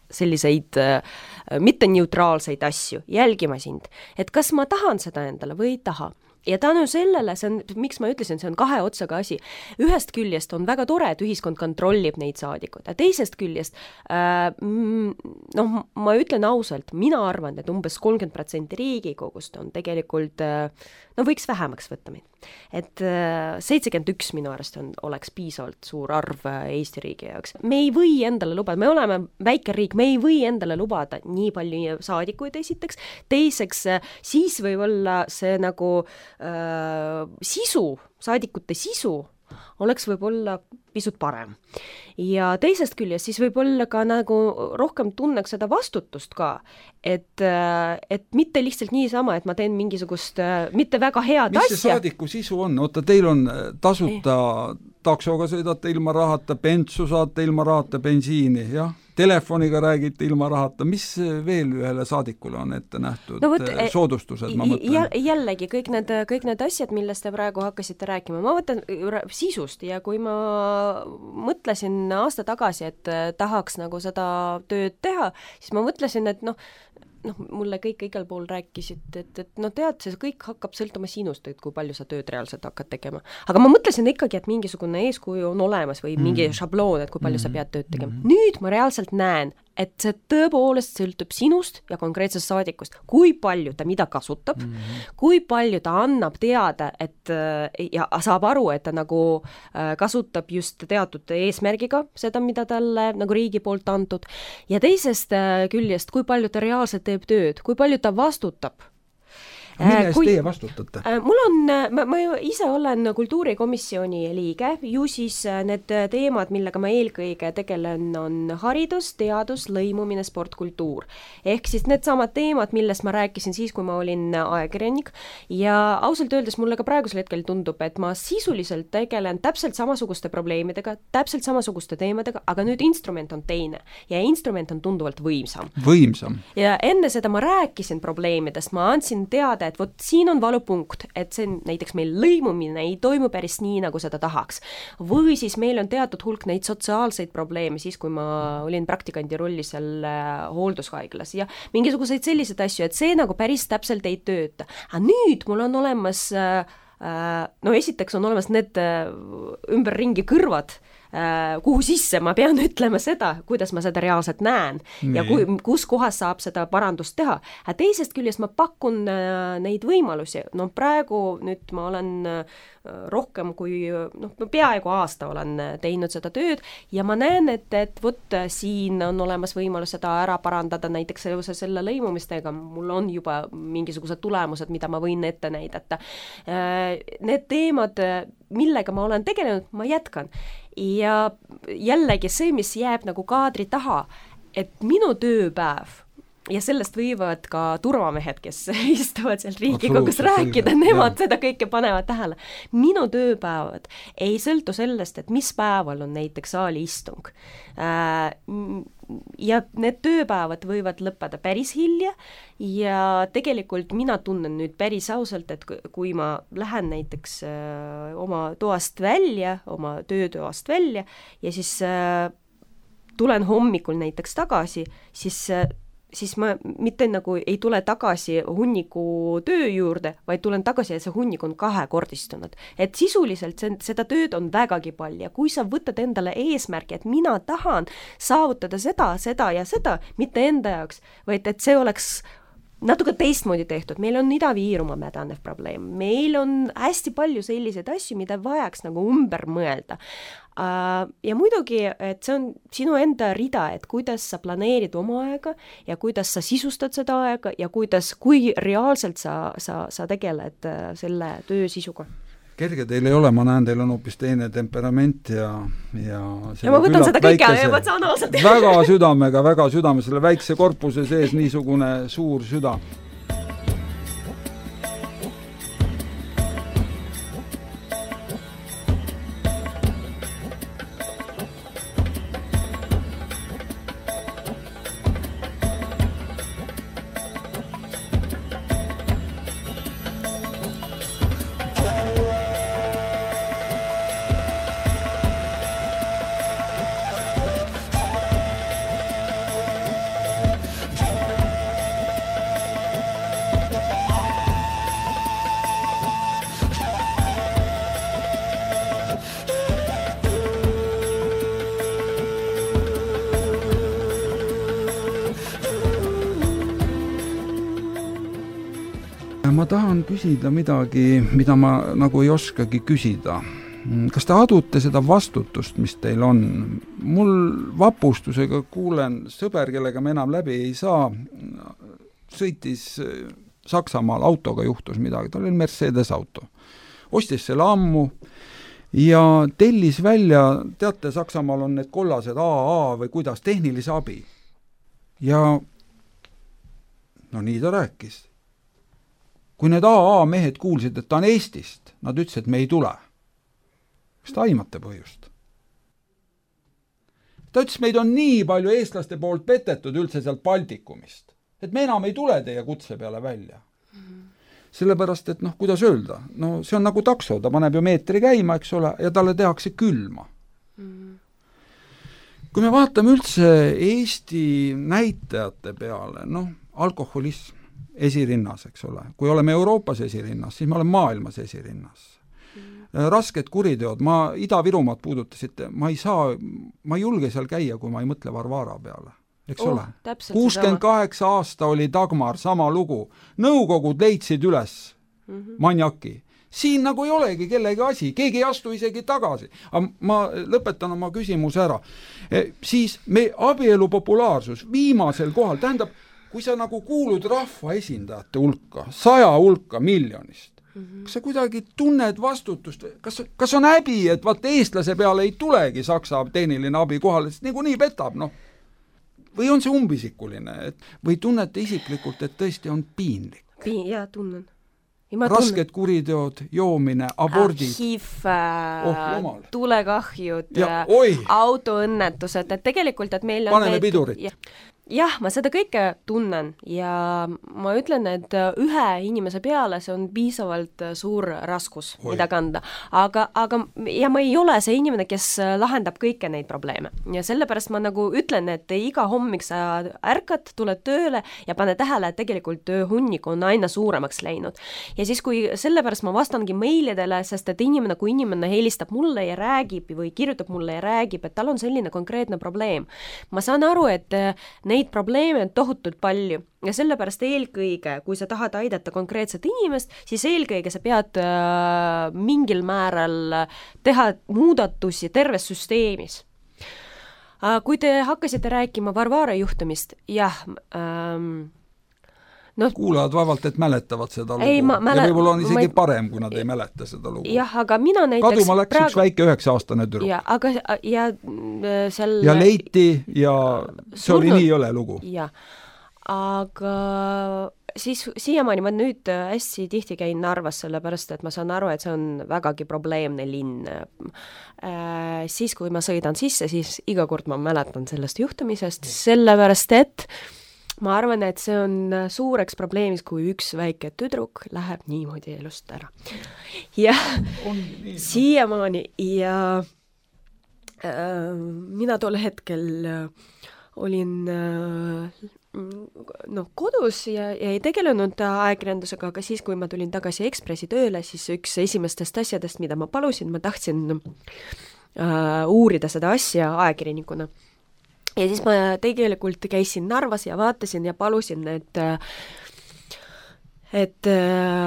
selliseid äh, mitte neutraalseid asju, jälgima sind, et kas ma tahan seda endale või ei taha. Ja tänu sellele, see on, miks ma ütlesin, see on kahe otsaga asi. Ühest küljest on väga tore, et ühiskond kontrollib neid saadikud, ja teisest küljest, äh, noh, ma ütlen ausalt, mina arvan, et umbes kolmkümmend protsenti riigikogust on tegelikult, äh, no võiks vähemaks võtta meid. Et äh, seitsekümmend üks minu arust on, oleks piisavalt suur arv äh, Eesti riigi jaoks. Me ei või endale lubada, me oleme väike riik, me ei või endale lubada nii palju saadikuid esiteks, teiseks äh, siis võib olla see nagu äh, sisu, saadikute sisu oleks võib-olla pisut parem. Ja teisest küljest siis võib-olla ka nagu rohkem tunneks seda vastutust ka, et, et mitte lihtsalt niisama, et ma teen mingisugust mitte väga head mis asja. Mis see saadiku sisu on? Oota, teil on tasuta taksoga sõidate ilma rahata, bentsu saate ilma rahata, bensiini, jah? Telefoniga räägite ilma rahata, mis veel ühele saadikule on ette nähtud no, võt, soodustused, ma mõtlen? Jällegi, kõik need, kõik need asjad, millest te praegu hakkasite rääkima, ma võtan sisust ja kui ma mõtlesin aasta tagasi, et tahaks nagu seda tööd teha, siis ma mõtlesin, et noh, noh, mulle kõik igal pool rääkisid, et, et no tead, see kõik hakkab sõltuma sinust, et kui palju sa tööd reaalselt hakkad tegema. Aga ma mõtlesin ikkagi, et mingisugune eeskuju on olemas või mingi mm. šabloon, et kui palju mm. sa pead tööd tegema. Mm. Nüüd ma reaalselt näen, et see tõepoolest sõltub sinust ja konkreetsest saadikust, kui palju ta mida kasutab, mm-hmm. kui palju ta annab teada, et ja saab aru, et ta nagu kasutab just teatud eesmärgiga seda, mida talle nagu riigi poolt antud, ja teisest küljest, kui palju ta reaalselt teeb tööd, kui palju ta vastutab. Mille eest teie vastutate? Mul on, ma, ma ise olen kultuurikomisjoni liige, ju siis need teemad, millega ma eelkõige tegelen, on haridus, teadus, lõimumine, sport, kultuur. Ehk siis need samad teemad, millest ma rääkisin siis, kui ma olin ajakirjanik, ja ausalt öeldes mulle ka praegusel hetkel tundub, et ma sisuliselt tegelen täpselt samasuguste probleemidega, täpselt samasuguste teemadega, aga nüüd instrument on teine ja instrument on tunduvalt võimsam. Võimsam. Ja enne seda ma rääkisin probleemidest, ma andsin teada, et vot siin on valupunkt, et see näiteks meil lõimumine ei toimu päris nii, nagu seda tahaks. Või siis meil on teatud hulk neid sotsiaalseid probleeme siis, kui ma olin praktikandi rolli seal hooldushaiglas ja mingisuguseid selliseid asju, et see nagu päris täpselt ei tööta. Aga nüüd mul on olemas, no esiteks on olemas need ümberringi kõrvad, kuhu sisse ma pean ütlema seda, kuidas ma seda reaalselt näen nii. Ja kui, kus kohas saab seda parandust teha. Aga teisest küljest ma pakun neid võimalusi. No praegu nüüd ma olen rohkem kui, noh, peaaegu aasta olen teinud seda tööd ja ma näen, et, et vot siin on olemas võimalus seda ära parandada näiteks seoses selle lõimumistega. Mul on juba mingisugused tulemused, mida ma võin ette näidata. Need teemad, millega ma olen tegelenud, ma jätkan. Ja jällegi see, mis jääb nagu kaadri taha, et minu tööpäev ja sellest võivad ka turvamehed, kes istuvad seal Riigikogus rääkida, nemad ja. Seda kõike panevad tähele. Minu tööpäevad ei sõltu sellest, et mis päeval on näiteks saali istung. Ja need tööpäevad võivad lõppeda päris hilja ja tegelikult mina tunnen nüüd päris ausalt, et kui ma lähen näiteks oma toast välja, oma töötoast välja ja siis tulen hommikul näiteks tagasi, siis siis ma mitte nagu ei tule tagasi hunniku töö juurde, vaid tulen tagasi ja see hunnik on kahekordistunud. Et sisuliselt see, seda tööd on vägagi palju ja kui sa võtad endale eesmärgi, et mina tahan saavutada seda, seda ja seda, mitte enda jaoks, vaid et see oleks natuke teistmoodi tehtud. Meil on Ida-Viirumaa mädanev probleem. Meil on hästi palju selliseid asju, mida vajaks nagu ümber mõelda. Ja muidugi, et see on sinu enda rida, et kuidas sa planeerid oma aega ja kuidas sa sisustad seda aega ja kuidas, kui reaalselt sa, sa, sa tegeled selle töö sisuga. Kerge teil ei ole, ma näen, teil on hoopis teine temperament ja ja, ja ma võtan seda kõike ja ma saan ausalt. Väga südamega, väga südame, selle väikse korpuse sees niisugune suur süda. Ma tahan küsida midagi, mida ma nagu ei oskagi küsida. Kas te adute seda vastutust, mis teil on? Mul vapustusega kuulen sõber, kellega me enam läbi ei saa, sõitis Saksamaal autoga, juhtus midagi, ta oli Mercedes auto. Ostis selle ammu ja tellis välja, teate, Saksamaal on need kollased A A või kuidas, tehnilise abi. Ja no nii ta rääkis. Kui need A A mehed kuulsid, et ta on Eestist, nad ütlesid, et me ei tule. Kas ta aimate põhjust? Ta ütles, meid on nii palju eestlaste poolt petetud üldse sealt Baltikumist, et me enam ei tule teie kutse peale välja. Mm-hmm. Sellepärast, et noh, kuidas öelda, no see on nagu takso, ta paneb ju meetri käima, eks ole, ja talle tehakse külma. Mm-hmm. Kui me vaatame üldse Eesti näitajate peale, noh, alkoholism esirinnas, eks ole. Kui oleme Euroopas esirinnas, siis me oleme maailmas esirinnas. Rasked kuriteod, ma Ida-Virumaad puudutasite, ma ei saa, ma ei julge seal käia, kui ma ei mõtle Varvara peale, eks oh, ole. kuuskümmend kaheksa aasta oli Dagmar, sama lugu. Nõukogud leidsid üles mm-hmm. manjaki. Siin nagu ei olegi kellegi asi, keegi ei astu isegi tagasi. Aga ma lõpetan oma küsimuse ära. E, siis me abielu populaarsus viimasel kohal, tähendab, kui sa nagu kuulud rahva esindajate hulka, saja hulka miljonist, kas sa kuidagi tunned vastutust, kas, kas on häbi, et vaat eestlase peale ei tulegi Saksa tehniline abi kohale, sest nagu nii petab, noh. Või on see umbisikuline, et, või tunnete isiklikult, et tõesti on piinlik? Piin, jaa, tunnen. Rasked kuriteod, joomine, abordid. H I V, oh, tulekahjud, autoõnnetused, et tegelikult, et meil on... Paneme pidurit. Jah, ma seda kõike tunnen ja ma ütlen, et ühe inimese peale see on piisavalt suur raskus, Oi. mida kanda. Aga, aga, ja ma ei ole see inimene, kes lahendab kõike neid probleeme. Ja sellepärast ma nagu ütlen, et iga hommik sa ärkad, tuled tööle ja pane tähele, et tegelikult tööhunnik on aina suuremaks läinud. Ja siis, kui sellepärast ma vastangi meilidele, sest et inimene, kui inimene helistab mulle ja räägib või kirjutab mulle ja räägib, et tal on selline konkreetne probleem. Ma saan aru, et neid probleeme on tohutult palju ja sellepärast eelkõige, kui sa tahad aidata konkreetset inimest, siis eelkõige sa pead äh, mingil määral teha muudatusi terves süsteemis. Äh, kui te hakkasite rääkima Varvara juhtumist, jah, ähm, no, kuulajad vaevalt, et mäletavad seda lugu. Ei, ma, mäle... ja võib-olla on isegi ma... parem, kui nad ei mäleta seda lugu. Jah, aga mina näiteks... Kaduma läks praegu... üks väike üheksa-aastane tüdruk. Ja, aga, ja, seal... ja leiti ja see Surnud... oli nii jõle lugu. Ja, aga siis siiamaani ma nüüd hästi tihti käin Narvas, sellepärast, et ma saan aru, et see on vägagi probleemne linn. Äh, siis, kui ma sõidan sisse, siis iga kord ma mäletan sellest juhtumisest, sellepärast, et ma arvan, et see on suureks probleemis, kui üks väike tüdruk läheb niimoodi elust ära. Ja siiamaani ja äh, mina tol hetkel olin äh, no, kodus ja, ja ei tegelenud ajakirjandusega, aga siis, kui ma tulin tagasi Ekspressi tööle, siis üks esimestest asjadest, mida ma palusin, ma tahtsin äh, uurida seda asja ajakirjanikuna. Ja siis ma tegelikult käisin Narvas ja vaatasin ja palusin, et, et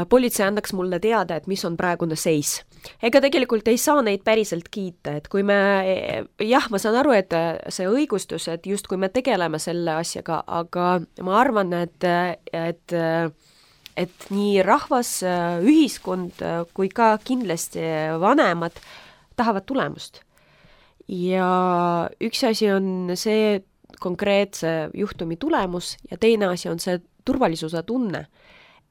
politsei andaks mulle teada, et mis on praegune seis. Ega tegelikult ei saa neid päriselt kiita, et kui me, jah, ma saan aru, et see õigustus, et just kui me tegeleme selle asjaga, aga ma arvan, et, et, et nii rahvas, ühiskond kui ka kindlasti vanemad tahavad tulemust. Ja üks asi on see konkreetse juhtumi tulemus ja teine asi on see turvalisuse tunne,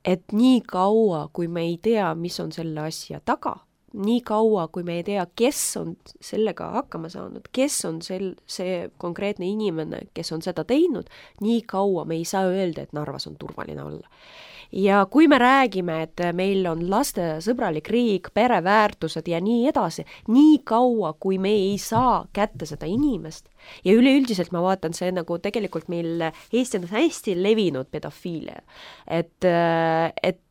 et nii kaua, kui me ei tea, mis on selle asja taga, nii kaua, kui me ei tea, kes on sellega hakkama saanud, kes on sel, see konkreetne inimene, kes on seda teinud, nii kaua me ei saa öelda, et Narvas on turvaline olla. Ja kui me räägime, et meil on laste sõbralik riik, pereväärtused ja nii edasi, nii kaua, kui me ei saa kätte seda inimest ja üleüldiselt ma vaatan see nagu tegelikult meil Eestis on hästi levinud pedofiilia, et, et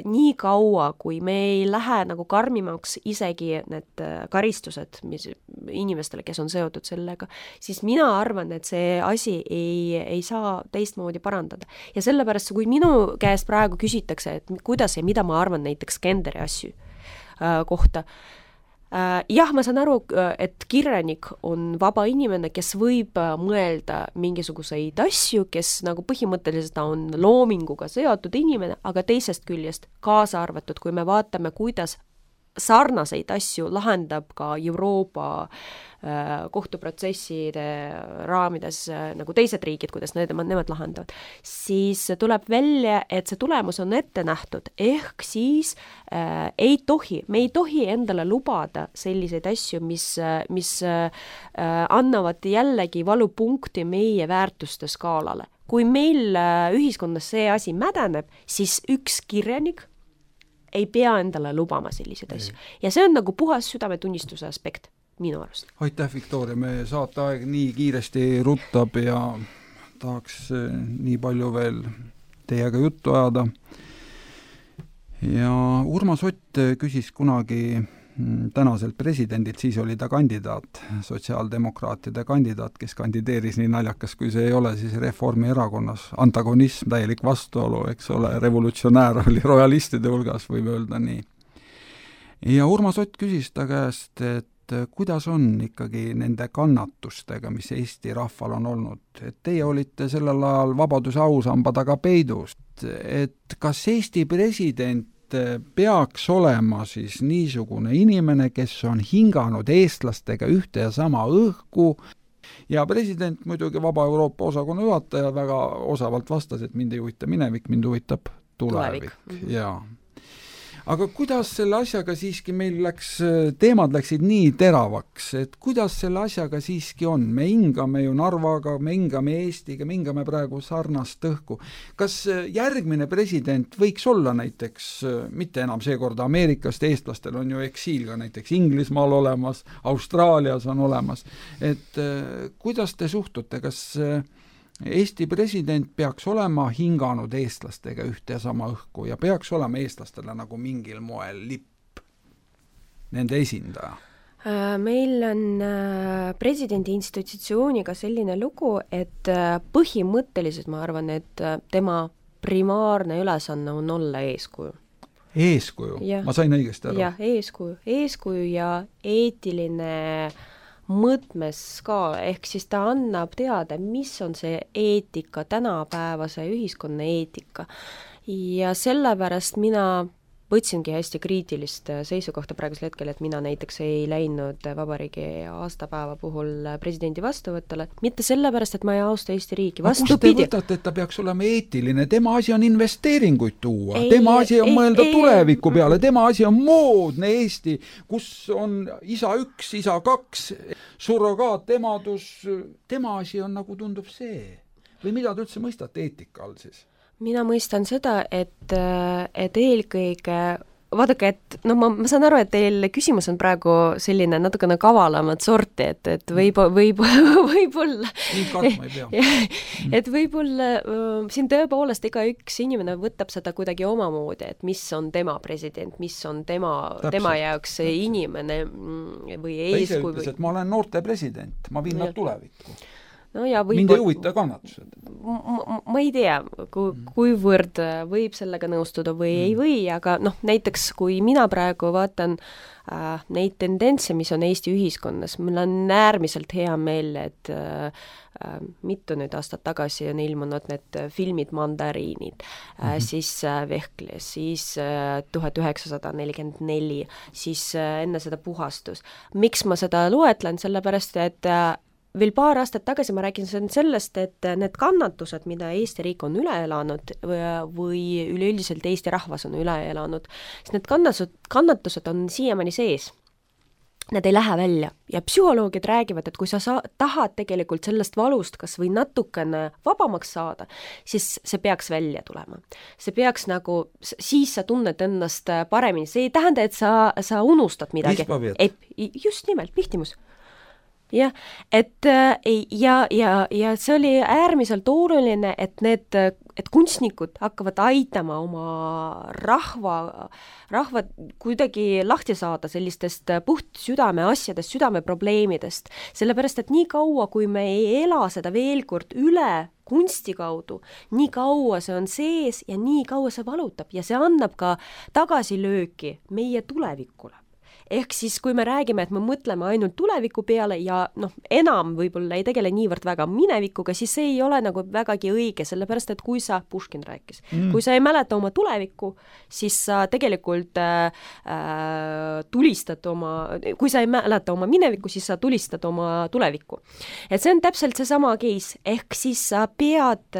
nii kaua, kui me ei lähe nagu karmimaks isegi need karistused mis inimestele, kes on seotud sellega, siis mina arvan, et see asi ei, ei saa teistmoodi parandada. Ja sellepärast, kui minu käest praegu küsitakse, et kuidas ja mida ma arvan näiteks genderi asju äh, kohta, jah, ma saan aru, et kirjanik on vaba inimene, kes võib mõelda mingisuguseid asju, kes nagu põhimõtteliselt on loominguga seotud inimene, aga teisest küljest kaasa arvatud, kui me vaatame, kuidas sarnaseid asju lahendab ka Euroopa äh, kohtuprotsesside raamides äh, nagu teised riigid, kuidas need, nemad lahendavad, siis tuleb välja, et see tulemus on ette nähtud, ehk siis äh, ei tohi, me ei tohi endale lubada selliseid asju, mis, mis äh, annavad jällegi valupunkti meie väärtuste skaalale. Kui meil äh, ühiskonnas see asi mädeneb, siis üks kirjanik ei pea endale lubama selliseid asju. Ja see on nagu puhas südametunnistuse aspekt minu arust. Aitäh, Viktoria, me saate aeg nii kiiresti ruttab ja tahaks nii palju veel teiega juttu ajada. Ja Urmas Ott küsis kunagi tänaselt presidendilt, siis oli ta kandidaat, sotsiaaldemokraatide kandidaat, kes kandideeris, nii naljakas kui see ei ole, siis Reformierakonnas antagonism, täielik vastuolu, eks ole, revolutsionäär oli royalistide hulgas, võib öelda nii. Ja Urmas Ott küsis ta käest, et kuidas on ikkagi nende kannatustega, mis Eesti rahval on olnud, et teie olite sellel ajal vabaduse ausamba taga peidust, et kas Eesti president peaks olema siis niisugune inimene, kes on hinganud eestlastega ühte ja sama õhku, ja president muidugi Vaba Euroopa osakonna juhataja väga osavalt vastas, et mind ei huvita minevik, mind huvitab tulevik, tulevik. Ja aga kuidas selle asjaga siiski meil läks, teemad läksid nii teravaks, et kuidas selle asjaga siiski on? Me hingame ju Narvaga, me hingame Eestiga, me hingame praegu sarnast õhku. Kas järgmine president võiks olla näiteks, mitte enam seekorda Ameerikast, eestlastel on ju eksiil ka näiteks Inglismaal olemas, Austraalias on olemas, et kuidas te suhtute, kas Eesti president peaks olema hinganud eestlastega ühte ja sama õhku ja peaks olema eestlastele nagu mingil moel lipp, nende esindaja? Meil on presidendi institutsiooniga selline lugu, et põhimõtteliselt ma arvan, et tema primaarne ülesanne on olla eeskuju. Eeskuju? Ja, ma sain õigesti aru. Jah, eeskuju. Eeskuju ja eetiline mõtmes ka, ehk siis ta annab teada, mis on see eetika, tänapäevase ühiskonna eetika. Ja sellepärast mina võtsingi hästi kriitilist seisukohta praegusel hetkel, et mina näiteks ei läinud vabariigi aastapäeva puhul presidendi vastuvõttele, mitte sellepärast, et ma ei austa Eesti riiki, vastupidi. Kust te võtate, et ta peaks olema eetiline? Tema asi on investeeringuid tuua, ei, tema asi on ei, mõelda ei, tuleviku ei, peale, tema asi on moodne Eesti, kus on isa üks, isa kaks, surrogaatemadus, tema asi on nagu tundub see. Või mida te üldse mõistate eetika all siis? Mina mõistan seda, et, et eelkõige, vaadake, et no ma, ma saan aru, et teil küsimus on praegu selline natukene kavalamat sorti, et, et võib, võib, võib-olla nii kartma ei pea. Et võib-olla siin tõepoolest iga üks inimene võtab seda kuidagi omamoodi, et mis on tema president, mis on tema, tema jaoks see inimene või eeskuju. Ta ise ütles, et ma olen noorte president, ma viin nad tulevikku. No ja võib, mind ei huvita kannatused. Ma, ma ei tea, kui, kuivõrd võib sellega nõustuda või mm. ei või, aga noh, näiteks kui mina praegu vaatan äh, neid tendentse, mis on Eesti ühiskonnas, mul on äärmiselt hea meel, et äh, mitu nüüd aastat tagasi on ilmunud need filmid Mandariinid, mm-hmm. siis Vehkle, siis tuhat üheksasada nelikümmend neli, siis enne seda Puhastus. Miks ma seda loetlen? Sellepärast, et veel paar aastat tagasi ma räägin sellest, et need kannatused, mida Eesti riik on üle elanud või üleüldiselt Eesti rahvas on üle elanud, siis need kannatused, kannatused on siiamaani sees. Need ei lähe välja ja psühholoogid räägivad, et kui sa sa- tahad tegelikult sellest valust kas või natukene vabamaks saada, siis see peaks välja tulema. See peaks nagu, siis sa tunned ennast paremini. See ei tähenda, et sa, sa unustad midagi. Ei, just nimelt, pihtimus. Jah, et ja, ja, ja see oli äärmiselt oluline, et need, et kunstnikud hakkavad aitama oma rahva, rahva kuidagi lahti saada sellistest puht südame asjadest, südame probleemidest. Sellepärast, et nii kaua, kui me ei ela seda veel kord üle kunsti kaudu, nii kaua see on sees ja nii kaua see valutab ja see annab ka tagasilööki meie tulevikule. Ehk siis, kui me räägime, et me mõtleme ainult tuleviku peale ja noh, enam võib-olla ei tegele niivõrd väga minevikuga, siis see ei ole nagu vägagi õige, sellepärast, et kui sa, Puškin rääkis, mm. kui sa ei mäleta oma tulevikku, siis sa tegelikult äh, tulistad oma, kui sa ei mäleta oma minevikku, siis sa tulistad oma tulevikku. Et see on täpselt seesama case, ehk siis sa pead,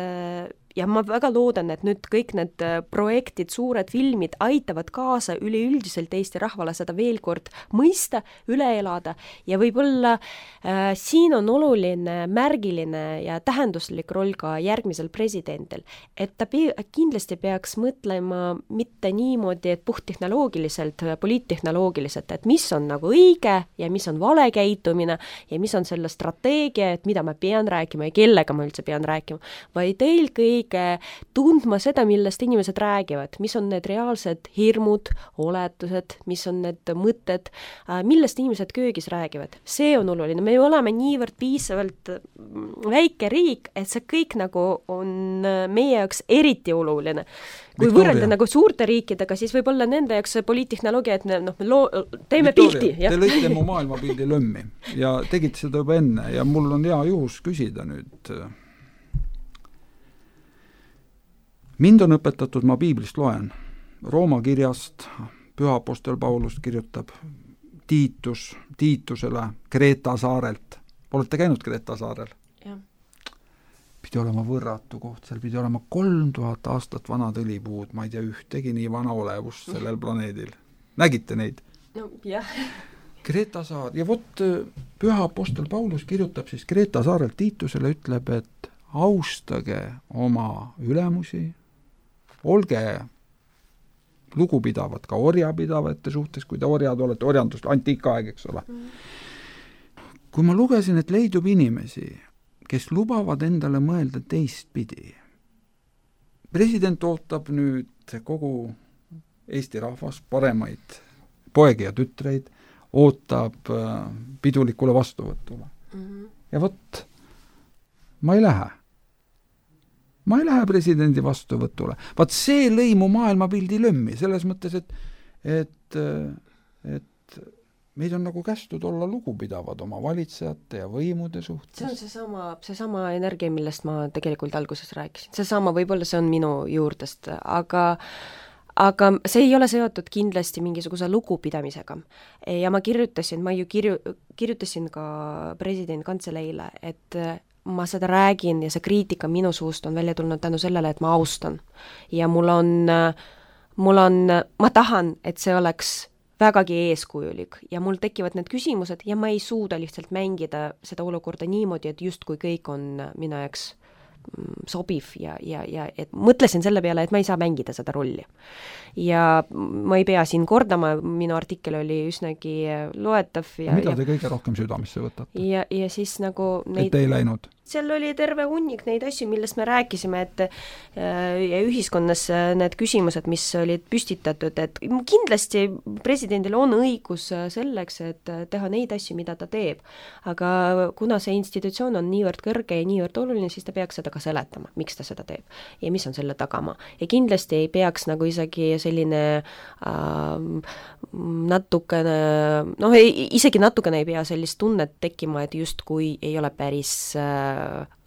ja ma väga loodan, et nüüd kõik need projektid, suured filmid aitavad kaasa üleüldiselt Eesti rahvale seda veel kord mõista, üle elada ja võib-olla äh, siin on oluline märgiline ja tähenduslik roll ka järgmisel presidendil, et ta pe- kindlasti peaks mõtlema mitte niimoodi, et puhttehnoloogiliselt, poliittehnoloogiliselt, et mis on nagu õige ja mis on vale käitumine ja mis on selle strateegia, et mida ma pean rääkima ja kellega ma üldse pean rääkima, vaid eelkõige tundma seda, millest inimesed räägivad, mis on need reaalsed hirmud, oletused, mis on need mõtted, millest inimesed köögis räägivad. See on oluline. Me oleme niivõrd piisavalt väike riik, et see kõik nagu on meie jaoks eriti oluline. Kui Victoria. Võrrelda nagu suurte riikidega, siis võib-olla nende jaoks poliittehnoloogia, et noh, me loo, teeme Victoria, pilti. Ja. Te lõite mu maailmapildi lömmi ja tegite seda juba enne ja mul on hea juhus küsida nüüd. Mind on õpetatud, ma piiblist loen, Rooma kirjast, Püha Apostel Paulus kirjutab Tiitus, Tiitusele Kreeta saarelt. Olete käinud Kreeta saarel? Jah. Pidi olema võrratu koht, seal pidi olema kolm tuhat aastat vanad õlipuud, ma ei tea ühtegi nii vana olevust sellel planeedil. Nägite neid? No, jah. Kreeta saar, ja vot Püha Apostel Paulus kirjutab siis Kreeta saarelt Tiitusele, ütleb, et austage oma ülemusi, olge lugupidavad ka orjapidavate suhtes, kui te orjad olete, orjandust, antiikaeg, eks ole. Kui ma lugesin, et leidub inimesi, kes lubavad endale mõelda teistpidi. President ootab nüüd kogu Eesti rahvas, paremaid poegi ja tütreid, ootab pidulikule vastuvõtule. Mm-hmm. Ja vot, ma ei lähe. Ma ei lähe presidendi vastuvõtule. Vaat see lõi mu maailmapildi lömmi, selles mõttes, et, et, et meid on nagu kästud olla lugupidavad oma valitsejate ja võimude suhtes. See on see sama, see sama energia, millest ma tegelikult alguses rääkisin. See sama, võib-olla see on minu juurdest, aga aga see ei ole seotud kindlasti mingisuguse lugupidamisega. Ja ma kirjutasin, ma ju kirju, kirjutasin ka presidendi kantseleile, et ma seda räägin ja see kriitika minu suust on välja tulnud tänu sellele, et ma austan. Ja mul on, mul on, ma tahan, et see oleks vägagi eeskujulik ja mul tekivad need küsimused ja ma ei suuda lihtsalt mängida seda olukorda niimoodi, et just kui kõik on minu jaoks sobiv ja, ja, ja et mõtlesin selle peale, et ma ei saa mängida seda rolli. Ja ma ei pea siin kordama, minu artikkel oli üsnagi loetav. Ja, mida ja, te kõige rohkem südamesse võtate? Ja, ja siis nagu neid, et ei läinud? Seal oli terve hunnik neid asju, millest me rääkisime, et ja ühiskonnas need küsimused, mis olid püstitatud, et kindlasti presidendil on õigus selleks, et teha neid asju, mida ta teeb. Aga kuna see institutsioon on niivõrd kõrge ja niivõrd oluline, siis ta peaks seda ka seletama, miks ta seda teeb ja mis on selle tagama. Ja kindlasti ei peaks nagu isegi selline äh, natukene, noh, isegi natukene ei pea sellist tunnet tekkima, et just kui ei ole päris äh,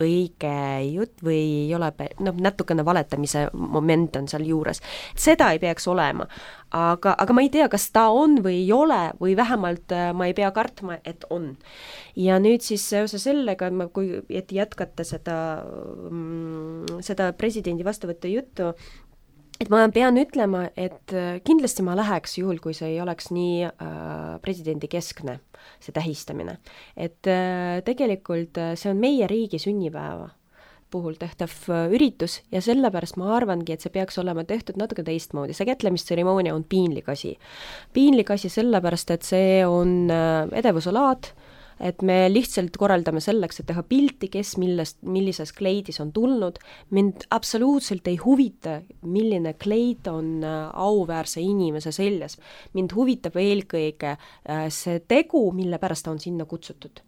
õige jutt või ei ole, noh, natukene valetamise moment on seal juures. Seda ei peaks olema, aga, aga ma ei tea, kas ta on või ei ole või vähemalt ma ei pea kartma, et on. Ja nüüd siis seoses sellega, kui et jätkata seda, seda presidendi vastuvõttu juttu, et ma pean ütlema, et kindlasti ma läheks juhul, kui see ei oleks nii äh, presidendi keskne, see tähistamine. Et äh, tegelikult see on meie riigi sünnipäeva puhul tehtav üritus ja sellepärast ma arvangi, et see peaks olema tehtud natuke teistmoodi. See kätlemistseremoonia on piinlik asi. Piinlik asi sellepärast, et see on äh, edevusalaad, et me lihtsalt korraldame selleks, et teha pilti, kes millest, millises kleidis on tulnud. Mind absoluutselt ei huvita, milline kleid on auväärse inimese seljas. Mind huvitab eelkõige see tegu, mille pärast ta on sinna kutsutud.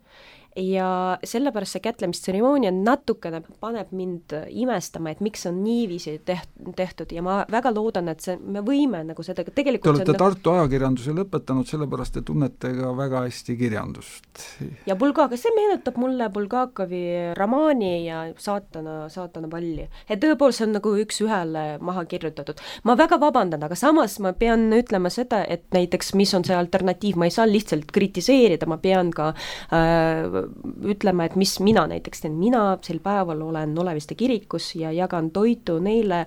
Ja sellepärast see kätlemistseremoonia natukene paneb mind imestama, et miks on niiviisi tehtud ja ma väga loodan, et see, me võime nagu seda tegelikult... Te olete Tartu ajakirjanduse lõpetanud, sellepärast te tunnete ka väga hästi kirjandust. Ja Bulgakov, see meenutab mulle Bulgakovi romaani ja saatana, saatana palli. Et tõepoolest see on nagu üks ühele maha kirjutatud. Ma väga vabandan, aga samas ma pean ütlema seda, et näiteks mis on see alternatiiv, ma ei saa lihtsalt kritiseerida, ma pean ka äh, ütlema, et mis mina näiteks teen, mina sel päeval olen Oleviste kirikus ja jagan toitu neile,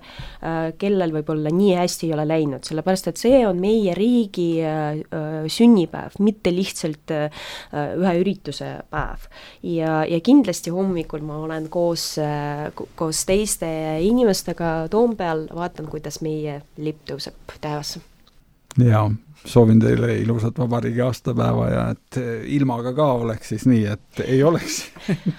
kellel võib-olla nii hästi ei ole läinud, sellepärast et see on meie riigi sünnipäev, mitte lihtsalt ühe ürituse päev. Ja, ja kindlasti hommikul ma olen koos, koos teiste inimestega Toompeal, vaatan, kuidas meie lipp tõuseb taevasse. Ja soovin teile ilusat vabariigi aastapäeva ja et ilmaga ka oleks siis nii, et ei oleks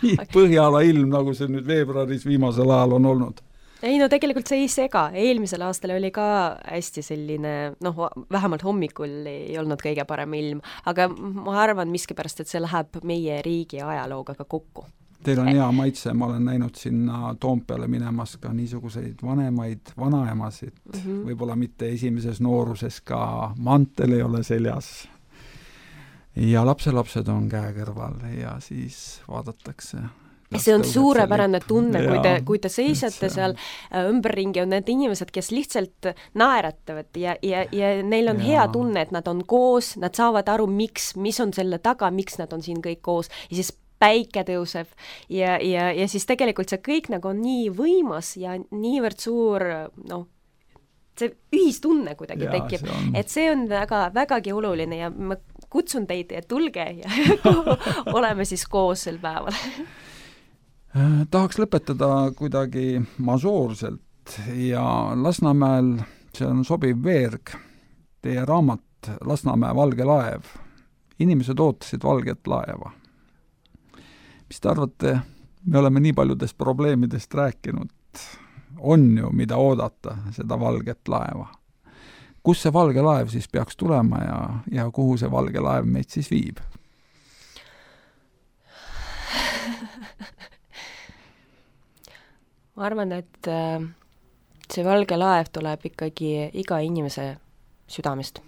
nii põhjala ilm, nagu see nüüd veebruaris viimasel ajal on olnud. Ei, no tegelikult see ei sega. Eelmisel aastal oli ka hästi selline, noh, vähemalt hommikul ei olnud kõige parem ilm, aga ma arvan miskipärast, et see läheb meie riigi ajalooga ka kokku. Teil on hea maitse, ma olen näinud sinna Toompeale minemas ka niisuguseid vanemaid vanaemasid, mm -hmm. võib-olla mitte esimeses nooruses ka mantel ei ole seljas. Ja lapselapsed on käe kõrval ja siis vaadatakse. See on suurepärane tunne, kui te, kui te seisate seal ümberringi, on need inimesed, kes lihtsalt naeratavad ja, ja, ja neil on ja. hea tunne, et nad on koos, nad saavad aru, miks, mis on selle taga, miks nad on siin kõik koos ja siis päike tõuseb ja, ja, ja siis tegelikult see kõik nagu on nii võimas ja niivõrd suur, noh, see ühistunne kuidagi ja, tekib, see on... et see on väga, vägagi oluline ja ma kutsun teid, et tulge ja oleme siis koos sel päeval. Tahaks lõpetada kuidagi mažoorselt ja Lasnamäel, see on sobiv veerg, teie raamat Lasnamäe valge laev. Inimesed ootasid valget laeva. Mis te arvate, me oleme nii paljudest probleemidest rääkinud, on ju, mida oodata, seda valget laeva. Kus see valge laev siis peaks tulema ja, ja kuhu see valge laev meid siis viib? Ma arvan, et see valge laev tuleb ikkagi iga inimese südamest.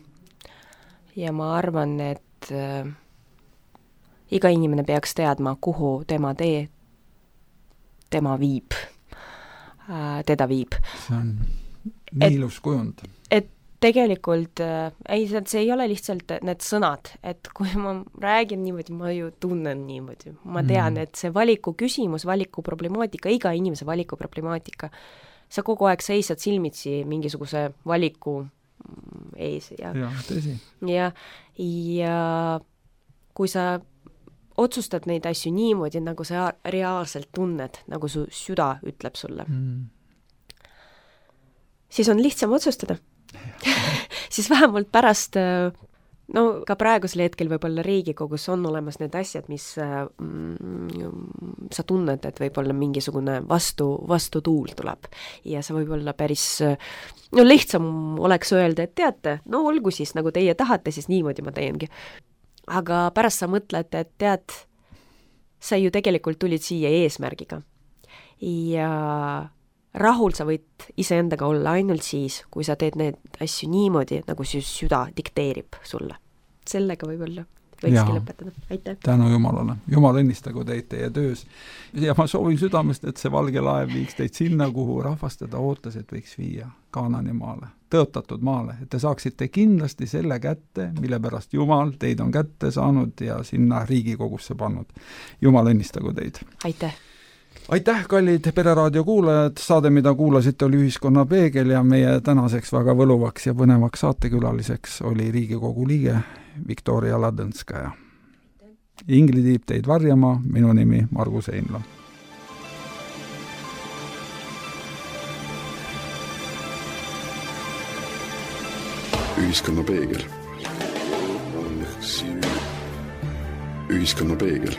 Ja ma arvan, et iga inimene peaks teadma, kuhu tema tee tema viib, teda viib. See on nii ilus kujund. Et tegelikult, ei, see ei ole lihtsalt need sõnad, et kui ma räägin niimoodi, ma ju tunnen niimoodi. Ma tean, et see valiku küsimus, valiku problemaatika, iga inimese valiku problemaatika, sa kogu aeg seisad silmitsi mingisuguse valiku ees. Ja, ja tõsi. Ja, ja kui sa otsustad neid asju niimoodi, nagu sa reaalselt tunned, nagu su süda ütleb sulle. Mm. Siis on lihtsam otsustada. Siis vähemalt pärast, no ka praegusel hetkel võib-olla Riigikogus on olemas need asjad, mis mm, sa tunned, et võib-olla mingisugune vastu, vastu tuul tuleb. Ja see võib-olla päris, no lihtsam oleks öelda, et teate, no olgu siis, nagu teie tahate, siis niimoodi ma teengi. Aga pärast sa mõtled, et tead, sa ju tegelikult tulid siia eesmärgiga. Ja rahul sa võid iseendaga olla ainult siis, kui sa teed need asju niimoodi, nagu su süda dikteerib sulle. Sellega võib-olla võikski lõpetada. Aitäh! Tänu Jumalale! Jumal õnnistagu teid teie töös. Ja ma soovin südamest, et see valge laev viiks teid sinna, kuhu rahvast teda ootas, et võiks viia Kaanani maale, tõotatud maale, et te saaksite kindlasti selle kätte, mille pärast Jumal teid on kätte saanud ja sinna Riigikogusse pannud. Jumal õnnistagu teid! Aitäh! Aitäh, kallid Pereraadio kuulajad, saade, mida kuulasite, oli Ühiskonna peegel ja meie tänaseks väga võluvaks ja põnevaks saatekülaliseks oli Riigikogu liige Viktoria Ladõnskaja. Ingli tiib teid varjama, minu nimi Margus Einla. Ühiskonna peegel. Ühiskonna peegel.